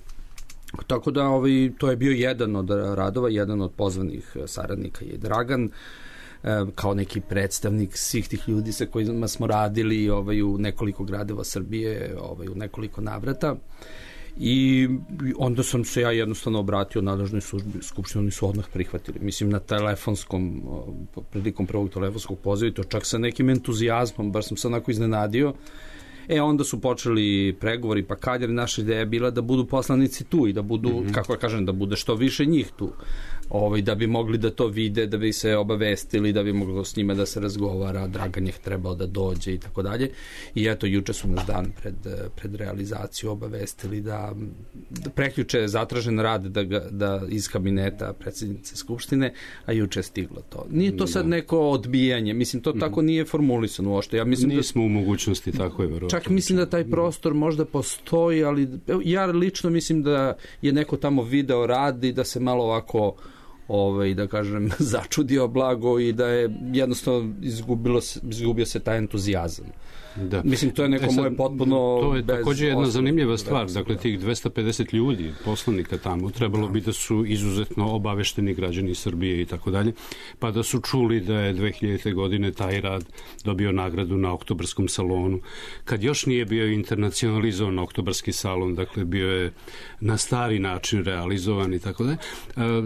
Tako da ovaj, to je bio jedan od radova, jedan od pozvanih saradnika je Dragan, kao neki predstavnik svih tih ljudi sa kojima smo radili ovaj, u nekoliko gradova Srbije, ovaj, u nekoliko navrata. I onda sam se ja jednostavno obratio nadležnoj službi Skupštine, oni su odmah prihvatili. Mislim, na telefonskom, prilikom prvog telefonskog poziva, to čak sa nekim entuzijazmom, baš sam se onako iznenadio. E, onda su počeli pregovori, pa kad je naša ideja bila da budu poslanici tu i da budu, mm-hmm. kako ja kažem, da bude što više njih tu. Ovaj, da bi mogli da to vide, da bi se obavestili, da bi moglo s njima da se razgovara, Dragan je trebao da dođe i tako dalje. I eto, juče su nas dan pred, pred realizaciju obavestili da, da prekjuče je zatražen rad da, ga, da iz kabineta predsjednice Skupštine, a juče je stiglo to. Nije to sad neko odbijanje, mislim, to tako nije formulisano uopšte. Ja mislim Nismo da, u mogućnosti, tako je verovatno. Čak mislim da taj prostor možda postoji, ali ja lično mislim da je neko tamo video rad i da se malo ovako ovaj, da kažem, začudio blago i da je jednostavno izgubilo se, izgubio se taj entuzijazam. Da. Mislim, to je neko e sad, moje potpuno... To je također jedna zanimljiva stvar. Dakle, tih dvesta pedeset ljudi, poslanika tamo, trebalo da. bi da su izuzetno obavešteni građani Srbije i tako dalje, pa da su čuli da je dve hiljadite. godine taj rad dobio nagradu na Oktobarskom salonu. Kad još nije bio internacionalizovan Oktobarski salon, dakle, bio je na stari način realizovan i tako dalje.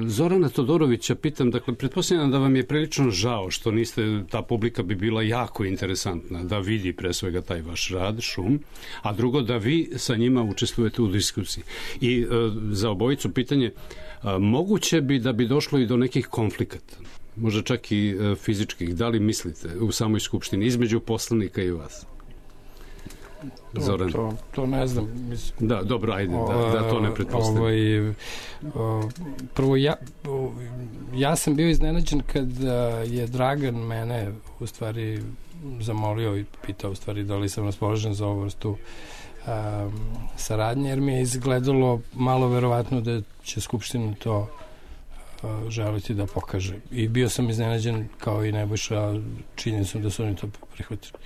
Zorana Todorovića pitam, dakle, pretpostavljam da vam je prilično žao što niste, ta publika bi bila jako interesantna da vidi pre svega taj vaš rad, šum, a drugo da vi sa njima učestvujete u diskusiji. I e, za obojicu pitanje, e, moguće bi da bi došlo i do nekih konflikata, možda čak i e, fizičkih, da li mislite u samoj skupštini, između poslanika i vas? Zoran. To, to ne znam. Mislim. Da, dobro, ajde, da, da to ne pretpostavim. Ovaj, prvo, ja, ja sam bio iznenađen kad je Dragan mene u stvari zamolio i pitao u stvari da li sam raspoložen za ovu vrstu um, saradnje, jer mi je izgledalo malo verovatno da će Skupština to želiti da pokaže. I bio sam iznenađen kao i Nebojša činjenicom da su oni to prihvatili.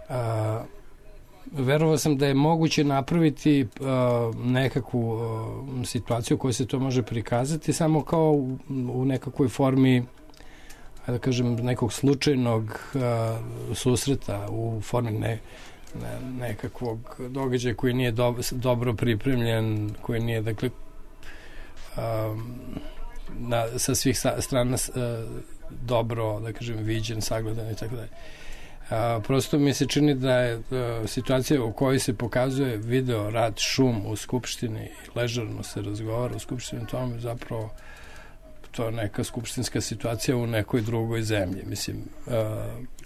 A, verovao sam da je moguće napraviti a, nekakvu a, situaciju u kojoj se to može prikazati samo kao u, u nekakvoj formi, da kažem, nekog slučajnog a, susreta u formi ne, ne, nekakvog događaja koji nije do, dobro pripremljen, koji nije, dakle, a, na, sa svih strana a, dobro, da kažem, viđen, sagledan i tako dalje. A, prosto mi se čini da je a, situacija u kojoj se pokazuje video, rad, šum u Skupštini, ležerno se razgovara u Skupštini, to je zapravo to je neka skupštinska situacija u nekoj drugoj zemlji. Mislim, uh,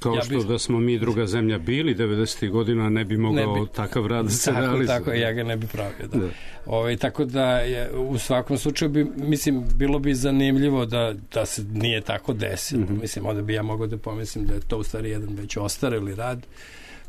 kao ja što bi... da smo mi druga zemlja bili devedesetih godina, ne bi mogao ne bi... takav rad da se tako, realizuje. Tako, ja ga ne bi pravio. Da. Da. Ove, tako da je, u svakom slučaju bi, mislim, bilo bi zanimljivo da, da se nije tako desilo. Mm-hmm. Mislim, onda bi ja mogao da pomislim da je to u stvari jedan već ostareli rad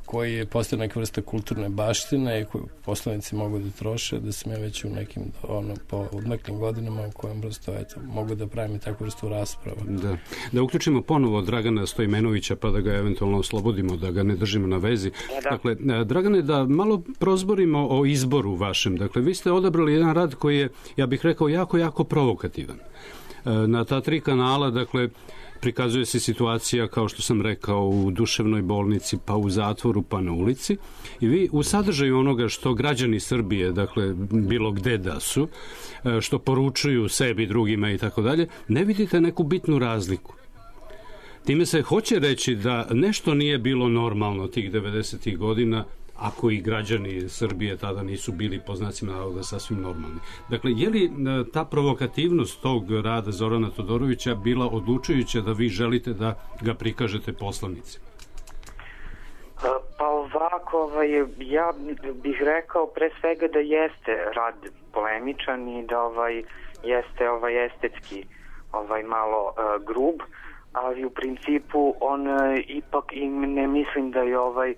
koji je postao neka vrsta kulturne baštine i koju poslanici mogu da troše, da sam ja već u nekim ono, po odmaklim godinama u kojem prosto eto, mogu da pravim i takvu vrstu rasprava. Da. Da uključimo ponovo Dragana Stojmenovića pa da ga eventualno oslobodimo, da ga ne držimo na vezi. Da. Dakle, Dragane, da malo prozborimo o izboru vašem. Dakle, vi ste odabrali jedan rad koji je, ja bih rekao, jako, jako provokativan. Na ta tri kanala, dakle, prikazuje se situacija, kao što sam rekao, u duševnoj bolnici, pa u zatvoru, pa na ulici. I vi u sadržaju onoga što građani Srbije, dakle, bilo gde da su, što poručuju sebi, drugima i tako dalje, ne vidite neku bitnu razliku. Time se hoće reći da nešto nije bilo normalno tih devedesetih godina, ako i građani Srbije tada nisu bili, po znacima navoda, sasvim normalni. Dakle, je li ta provokativnost tog rada Zorana Todorovića bila odlučujuća da vi želite da ga prikažete poslanicima? Pa ovako, ovaj, ja bih rekao pre svega da jeste rad polemičan i da ovaj, jeste ovaj, estetski ovaj, malo uh, grub, ali u principu on uh, ipak i ne mislim da je ovaj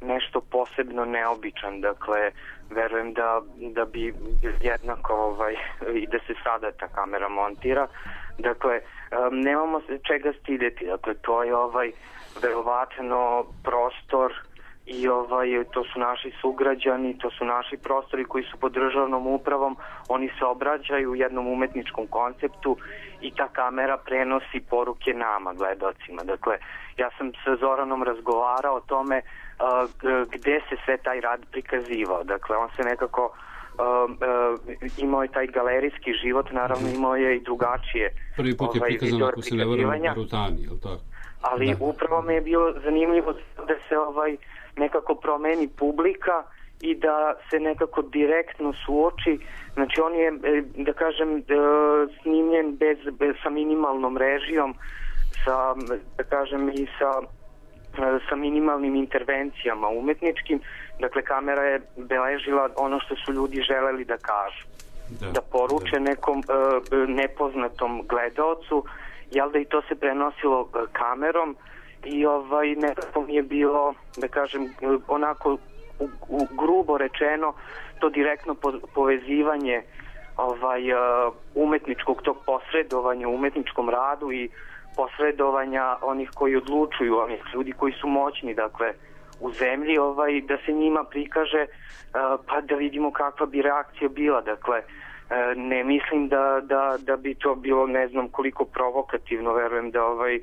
nešto posebno neobičan, dakle verujem da, da bi jednako ovaj, i da se sada ta kamera montira, dakle um, nemamo se čega stideti, dakle to je ovaj verovatno prostor i ovaj, to su naši sugrađani, to su naši prostori koji su pod državnom upravom, oni se obraćaju u jednom umetničkom konceptu i ta kamera prenosi poruke nama, gledocima. Dakle, ja sam sa Zoranom razgovarao o tome uh, gde se sve taj rad prikazivao. Dakle, on se nekako uh, uh, imao je taj galerijski život, naravno imao je i drugačije. Prvi put je ovaj, prikazano, ako se ne varam, u Barutani, je li tako? Ali da. Upravo mi je bilo zanimljivo da se ovaj nekako promeni publika i da se nekako direktno suoči. Znači on je, da kažem, snimljen bez, bez, sa minimalnom režijom, sa, da kažem, i sa, sa minimalnim intervencijama umetničkim. Dakle, kamera je beležila ono što su ljudi želeli da kažu. Da, da poruče da. nekom uh, nepoznatom gledaocu, jel da i to se prenosilo uh, kamerom i ovaj nekako mi je bilo, da kažem, onako u, u grubo rečeno to direktno po, povezivanje ovaj uh, umetničkog tog posredovanja u umetničkom radu i posredovanja onih koji odlučuju, onih ljudi koji su moćni, dakle u zemlji, ovaj da se njima prikaže uh, pa da vidimo kakva bi reakcija bila. Dakle uh, ne mislim da, da, da bi to bilo ne znam koliko provokativno, verujem da ovaj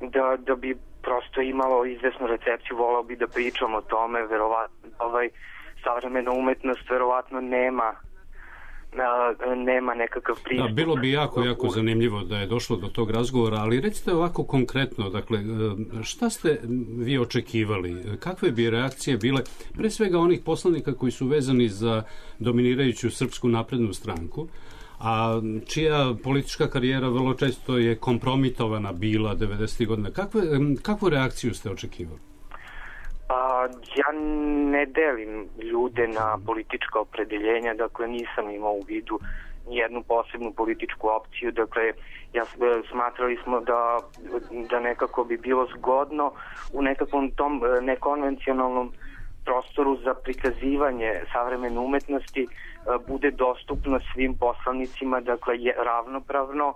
da, da bi prosto imalo izvesnu recepciju, volao bi da pričam o tome, verovatno ovaj, savremena umetnost verovatno nema nema nekakav pristup. Da, bilo bi jako, jako zanimljivo da je došlo do tog razgovora, ali recite ovako konkretno, dakle, šta ste vi očekivali? Kakve bi reakcije bile, pre svega onih poslanika koji su vezani za dominirajuću Srpsku naprednu stranku, a čija politička karijera vrlo često je kompromitovana bila devedesetih godina. Kakve, kakvu reakciju ste očekivali? A, ja ne delim ljude na politička opredeljenja, dakle nisam imao u vidu nijednu posebnu političku opciju, dakle ja smatrali smo da, da nekako bi bilo zgodno u nekakvom tom nekonvencionalnom prostoru za prikazivanje savremene umetnosti bude dostupno svim poslanicima, dakle je ravnopravno,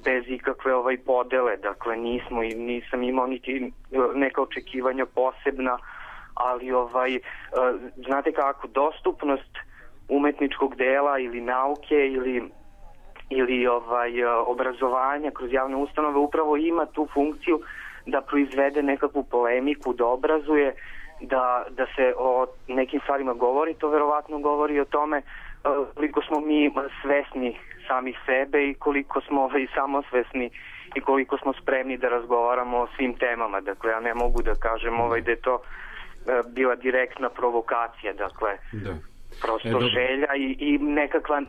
bez ikakve ovaj podele, dakle nismo i nisam imao niti neka očekivanja posebna, ali ovaj znate kako, dostupnost umetničkog dela ili nauke ili ili ovaj obrazovanja kroz javne ustanove upravo ima tu funkciju da proizvede nekakvu polemiku, da obrazuje, da, da se o nekim stvarima govori. To verovatno govori o tome koliko smo mi svesni samih sebe i koliko smo ovaj, samosvesni i koliko smo spremni da razgovaramo o svim temama. Dakle, ja ne mogu da kažem ovaj, da je to bila direktna provokacija, dakle da. prosto e, želja i, i nekakva,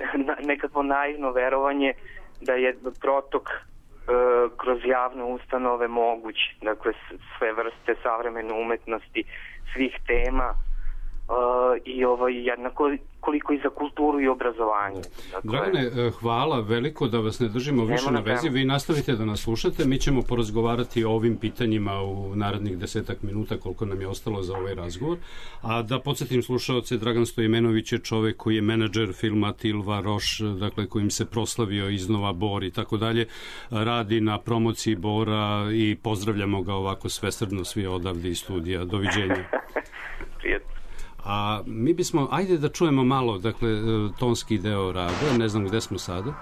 nekakvo naivno verovanje da je protok e, kroz javne ustanove moguć, dakle sve vrste savremene umetnosti, svih tema e, i ovo jednako koliko i za kulturu i obrazovanje. Dakle, Dragane, hvala veliko, da vas ne držimo više na vezi. Vi nastavite da nas slušate, mi ćemo porazgovarati o ovim pitanjima u narednih desetak minuta koliko nam je ostalo za ovaj razgovor. A da podsjetim slušaoce, Dragan Stojimenović je čovek koji je menadžer filma Tilva Roš, dakle kojim se proslavio iznova Bor i tako dalje, radi na promociji Bora i pozdravljamo ga ovako svesrdno svi odavde iz studija. Doviđenja. Prijetno. A mi bismo, ajde da čujemo malo, dakle, tonski deo rada, ne znam gde smo sada.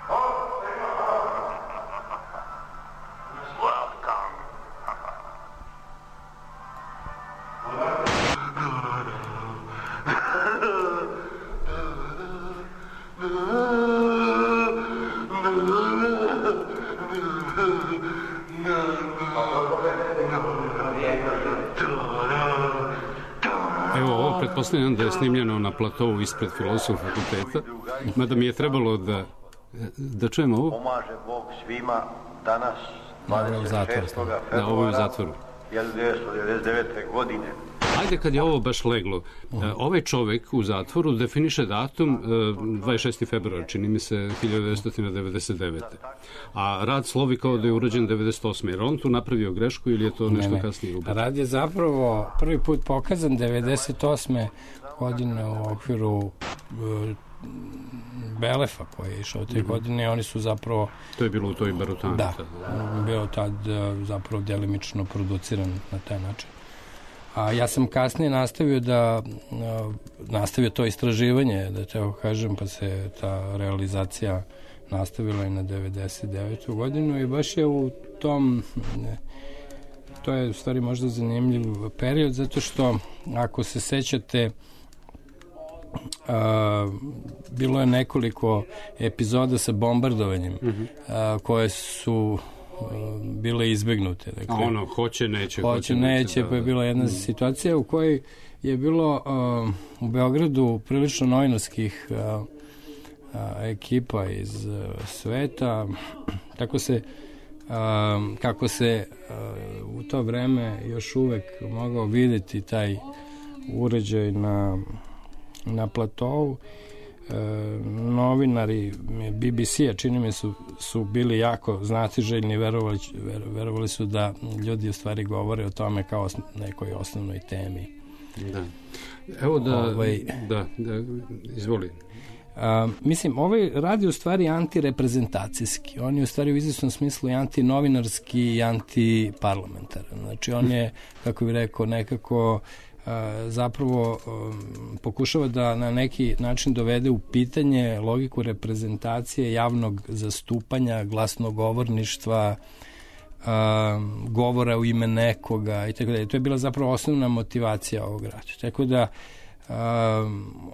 Pretpostavljam da je snimljeno na platovu ispred Filozofskog fakulteta, mada mi je trebalo da da čujemo ovo. Pomaže Bog svima danas, dvadeset šestog februara hiljadu devetsto devedeset devete. godine. Ajde, kad je ovo baš leglo, ovaj čovek u zatvoru definiše datum dvadeset šesti februar, čini mi se hiljadu devetsto devedeset devete. A rad slovi kao da je urađen devedeset osme. Jer on tu napravio grešku ili je to nešto ne, ne. kasnije ubacio? Rad je zapravo prvi put pokazan devedeset osme godine u okviru uh, Belefa koji je išao te mm-hmm. godine. Oni su zapravo... To je bilo u toj Barutani. Da, bio tad uh, zapravo djelimično produciran na taj način. A ja sam kasnije nastavio da nastavio to istraživanje, da te kažem, pa se ta realizacija nastavila i na devedeset devetu. godinu i baš je u tom, to je u stvari možda zanimljiv period, zato što ako se sećate, a, bilo je nekoliko epizoda sa bombardovanjem mm-hmm. a, koje su bile izbegnute. Dakle, a ono, hoće, neće. Hoće, hoće neće, da, pa je bila jedna mm. situacija u kojoj je bilo uh, u Beogradu prilično novinarskih uh, uh, ekipa iz uh, sveta. Tako se, uh, kako se uh, u to vreme još uvek mogao videti taj uređaj na, na platovu. E, novinari B B C-a, čini mi su, su bili jako znatiželjni, verovali, verovali su da ljudi u stvari govore o tome kao nekoj osnovnoj temi. Da. Evo da, ovaj, da, da izvoli. A, mislim, ovaj rad je u stvari antireprezentacijski. On je u stvari u izvjesnom smislu i antinovinarski i antiparlamentaran. Znači, on je, kako bih rekao, nekako zapravo pokušava da na neki način dovede u pitanje logiku reprezentacije, javnog zastupanja, glasnogovorništva, govora u ime nekoga i tako dalje. To je bila zapravo osnovna motivacija ovog rada. Tako da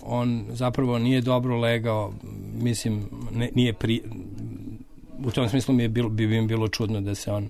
on zapravo nije dobro legao, mislim, ne, nije pri... u tom smislu mi je bilo, bi im bilo čudno da se on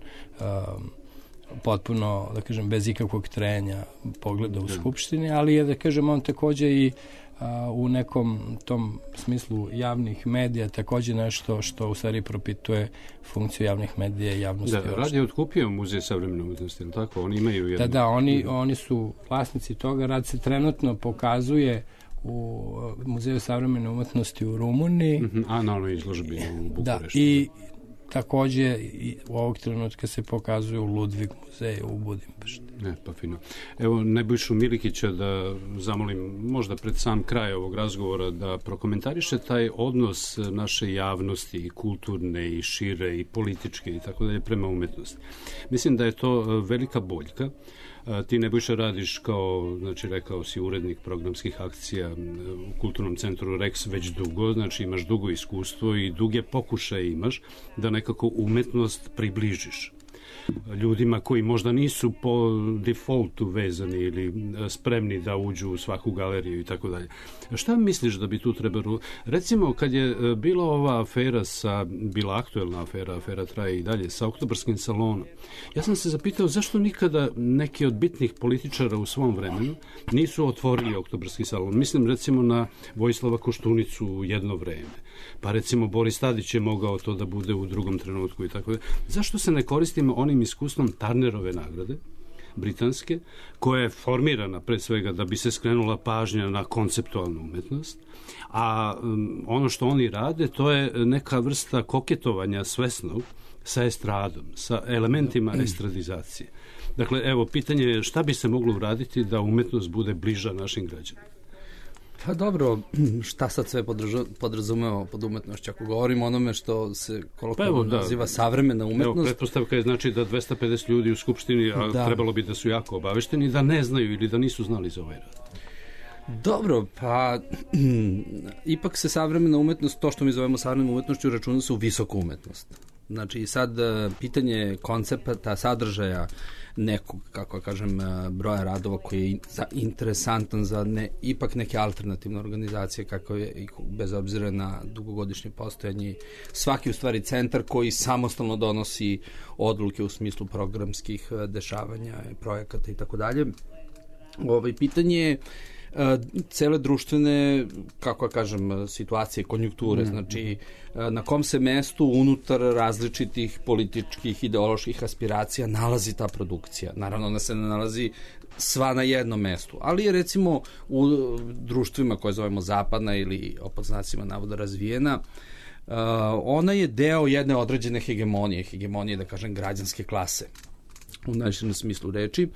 potpuno, da kažem, bez ikakvog trenja pogleda u Skupštini, ali je, da kažem, on takođe i a, u nekom tom smislu javnih medija takođe nešto što u stvari propituje funkciju javnih medija i javnosti. Da, Rad je otkupio Muzej savremene umetnosti, ili tako? Oni imaju jednu... Da, da, oni, oni su vlasnici toga. Rad se trenutno pokazuje u Muzeju savremene umetnosti u Rumuniji. Mm-hmm. A na onoj izložbi u Bukureštu. Da, i takođe i u ovog trenutka se pokazuje u Ludvig muzeju u Budimpešti. Ne, pa fino. Evo, Nebojšu Milikića da zamolim možda pred sam kraj ovog razgovora da prokomentariše taj odnos naše javnosti, i kulturne, i šire, i političke, i tako dalje, prema umetnosti. Mislim da je to velika boljka. Ti, Nebojša, radiš kao, znači, rekao si, urednik programskih akcija u Kulturnom centru Rex već dugo, znači imaš dugo iskustvo i duge pokušaje imaš da nekako umetnost približiš ljudima koji možda nisu po defaultu vezani ili spremni da uđu u svaku galeriju i tako dalje. Šta misliš da bi tu trebalo? Recimo, kad je bila ova afera sa, bila aktuelna afera, afera traje i dalje, sa Oktobarskim salonom, ja sam se zapitao zašto nikada neki od bitnih političara u svom vremenu nisu otvorili Oktobarski salon. Mislim recimo na Vojislava Koštunicu u jedno vreme. Pa recimo Boris Tadić je mogao to da bude u drugom trenutku i tako da. Zašto se ne koristimo onim iskustvom Turnerove nagrade, britanske, koja je formirana pre svega da bi se skrenula pažnja na konceptualnu umetnost, a um, ono što oni rade to je neka vrsta koketovanja svesnog sa estradom, sa elementima estradizacije. Dakle, evo, pitanje je šta bi se moglo uraditi da umetnost bude bliža našim građanima? Pa dobro, šta sad sve podrazumemo pod umetnošću? Ako govorimo onome što se kolokvijalno pa naziva savremena umetnost... Evo, pretpostavka je znači da dvesta pedeset ljudi u Skupštini, a da. Trebalo bi da su jako obavešteni, da ne znaju ili da nisu znali za ovaj rad. Dobro, pa ipak se savremena umetnost, to što mi zovemo savremenom umetnošću, računa se u visoku umetnost. Znači, sad pitanje koncepta, sadržaja nekog, kako kažem, broja radova koji je za, interesantan za ne, ipak neke alternativne organizacije, kako je, bez obzira na dugogodišnje postojanje, svaki u stvari centar koji samostalno donosi odluke u smislu programskih dešavanja, projekata i tako dalje. Ovaj, pitanje je cele društvene, kako ja kažem, situacije, konjunkture, mm. znači na kom se mestu unutar različitih političkih, ideoloških aspiracija nalazi ta produkcija. Naravno, ona se ne nalazi sva na jednom mestu, ali je recimo u društvima koje zovemo zapadna ili pod znacima navoda razvijena, uh, ona je deo jedne određene hegemonije, hegemonije, da kažem, građanske klase u najširem smislu reči.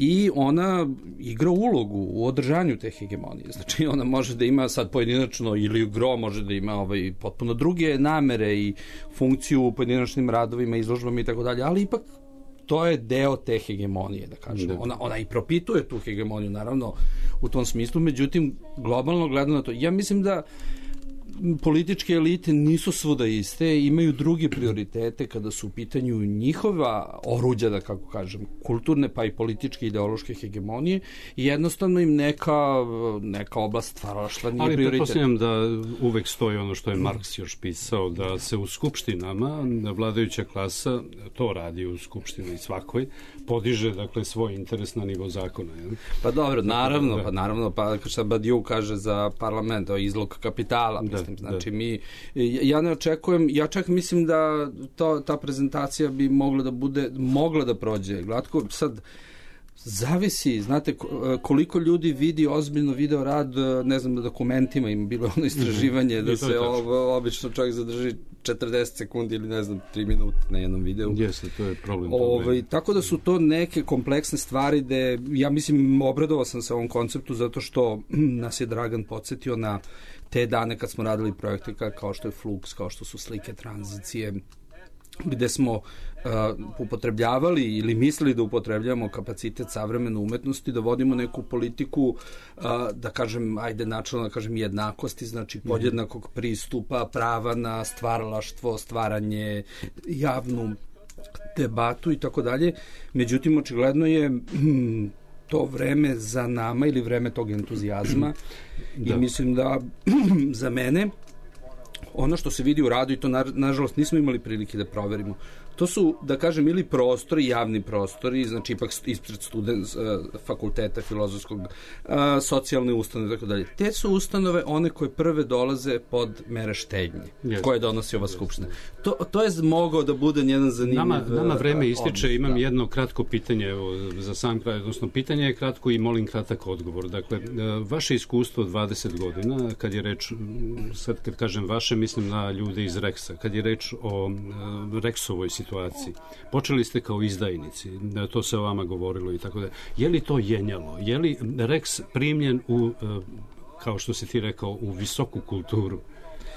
I ona igra ulogu u održanju te hegemonije. Znači, ona može da ima sad pojedinačno, ili gro može da ima ovaj, potpuno druge namere i funkciju u pojedinačnim radovima, izložbama i tako dalje, ali ipak to je deo te hegemonije, da kažemo. Ona, ona i propituje tu hegemoniju, naravno, u tom smislu, međutim, globalno gledano na to, ja mislim da političke elite nisu svuda iste, imaju druge prioritete kada su u pitanju njihova oruđa, da kako kažem, kulturne pa i političke ideološke hegemonije i jednostavno im neka, neka oblast stvaralaštva nije ali prioritet. Ali pretpostavljam da uvek stoji ono što je Marks još pisao, da se u skupštinama vladajuća klasa, to radi u skupštini svakoj, podiže dakle svoj interes na nivo zakona. Je? Pa dobro, naravno, da. pa naravno, pa šta Badiou kaže za parlament, o izlog kapitala, da. Mislim, znači, mi, ja ne očekujem, ja čak mislim da to, ta prezentacija bi mogla da bude, mogla da prođe glatko. Sad, zavisi, znate, koliko ljudi vidi ozbiljno video rad, ne znam, na dokumentima, ima bilo ono istraživanje da se o, obično čovjek zadrži četrdeset sekundi ili ne znam, tri minuta na jednom videu. Jeste, to je problem. Ove, tako da su to neke kompleksne stvari gde, ja mislim, obradovao sam se ovom konceptu zato što nas je Dragan podsjetio na te dane kad smo radili projekte kao što je Flux, kao što su slike tranzicije, gde smo uh, upotrebljavali ili mislili da upotrebljavamo kapacitet savremene umetnosti, da vodimo neku politiku, uh, da kažem, ajde načelno da kažem jednakosti, znači podjednakog pristupa, prava na stvaralaštvo, stvaranje, javnu debatu i tako dalje. Međutim, očigledno je hm, to vreme za nama ili vreme tog entuzijazma i mislim da za mene ono što se vidi u radu i to na, nažalost nismo imali prilike da proverimo, To su, da kažem, ili prostori, javni prostori, znači ipak ispred student, fakulteta filozofskog, socijalne ustanove i tako dalje. Te su ustanove one koje prve dolaze pod mere štednje, yes. koje donosi ova skupština. To, to je mogao da bude jedan zanimljiv... Nama, nama vreme ističe, odnos, imam da. jedno kratko pitanje evo, za sam kraj, odnosno pitanje je kratko i molim kratak odgovor. Dakle, vaše iskustvo dvadeset godina, kad je reč, sad kad kažem vaše, mislim na ljude iz Reksa, kad je reč o Reksovoj situaciji, počeli ste kao izdajnici, to se o vama govorilo i tako da. Je li to jenjalo? Je li Reks primljen u, kao što si ti rekao, u visoku kulturu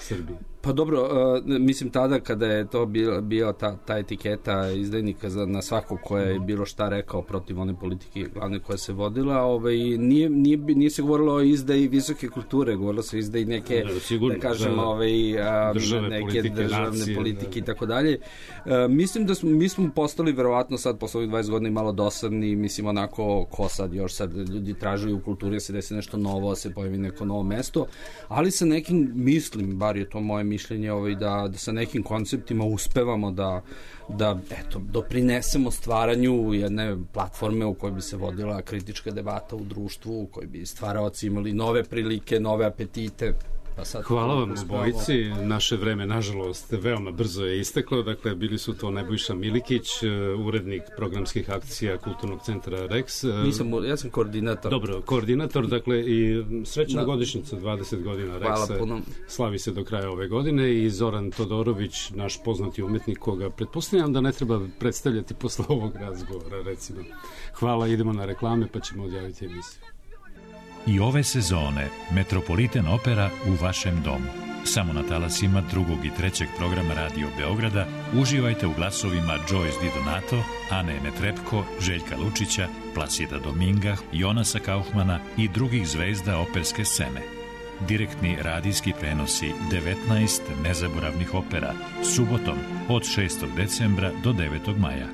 Srbije? Pa dobro, uh, mislim tada kada je to bio, bio ta, ta etiketa izdajnika za, na svakog koja je bilo šta rekao protiv one politike glavne koja se vodila, ovaj, nije, nije, nije se govorilo o izdaji visoke kulture, govorilo se o izdaji neke, da, sigurno, da kažem, da, ovaj, a, države, neke politike, državne nacije, politike i tako dalje. Uh, mislim da smo, mi smo postali verovatno sad posle ovih dvadeset godina malo dosadni, mislim onako ko sad još sad ljudi tražuju u kulturi da se desi nešto novo, da se pojavi neko novo mesto, ali sa nekim, mislim, bar je to moje mišljenje ovaj, da, da sa nekim konceptima uspevamo da, da eto, doprinesemo stvaranju jedne platforme u kojoj bi se vodila kritička debata u društvu, u kojoj bi stvaraoci imali nove prilike, nove apetite. Pa sad hvala vam obojici. Naše vreme, nažalost, veoma brzo je isteklo. Dakle, bili su to Nebojša Milikić, urednik programskih akcija Kulturnog centra Reks. Nisam, ja sam koordinator. Dobro, koordinator, dakle, i srećna da. godišnjica, dvadeset godina Reksa. Slavi se do kraja ove godine i Zoran Todorović, naš poznati umetnik, koga pretpostavljam da ne treba predstavljati posle ovog razgovora, recimo. Hvala, idemo na reklame pa ćemo odjaviti emisiju. I ove sezone Metropolitan Opera u vašem domu. Samo na talasima drugog i trećeg programa Radio Beograda uživajte u glasovima Joyce Di Donato, Ane Netrebko, Željka Lučića, Placida Dominga, Jonasa Kaufmana i drugih zvezda operske scene. Direktni radijski prenosi devetnaest nezaboravnih opera subotom od šestog decembra do devetog maja.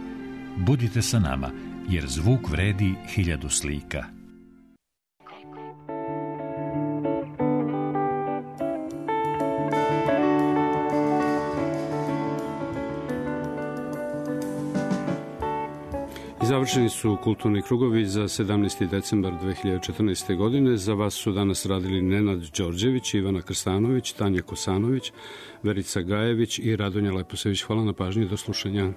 Budite sa nama, jer zvuk vredi hiljadu slika. Završeni su kulturni krugovi za sedamnaesti decembar dve hiljade četrnaeste. godine. Za vas su danas radili Nenad Đorđević, Ivana Krstanović, Tanja Kosanović, Verica Gajević i Radonja Leposević. Hvala na pažnji, do slušanja.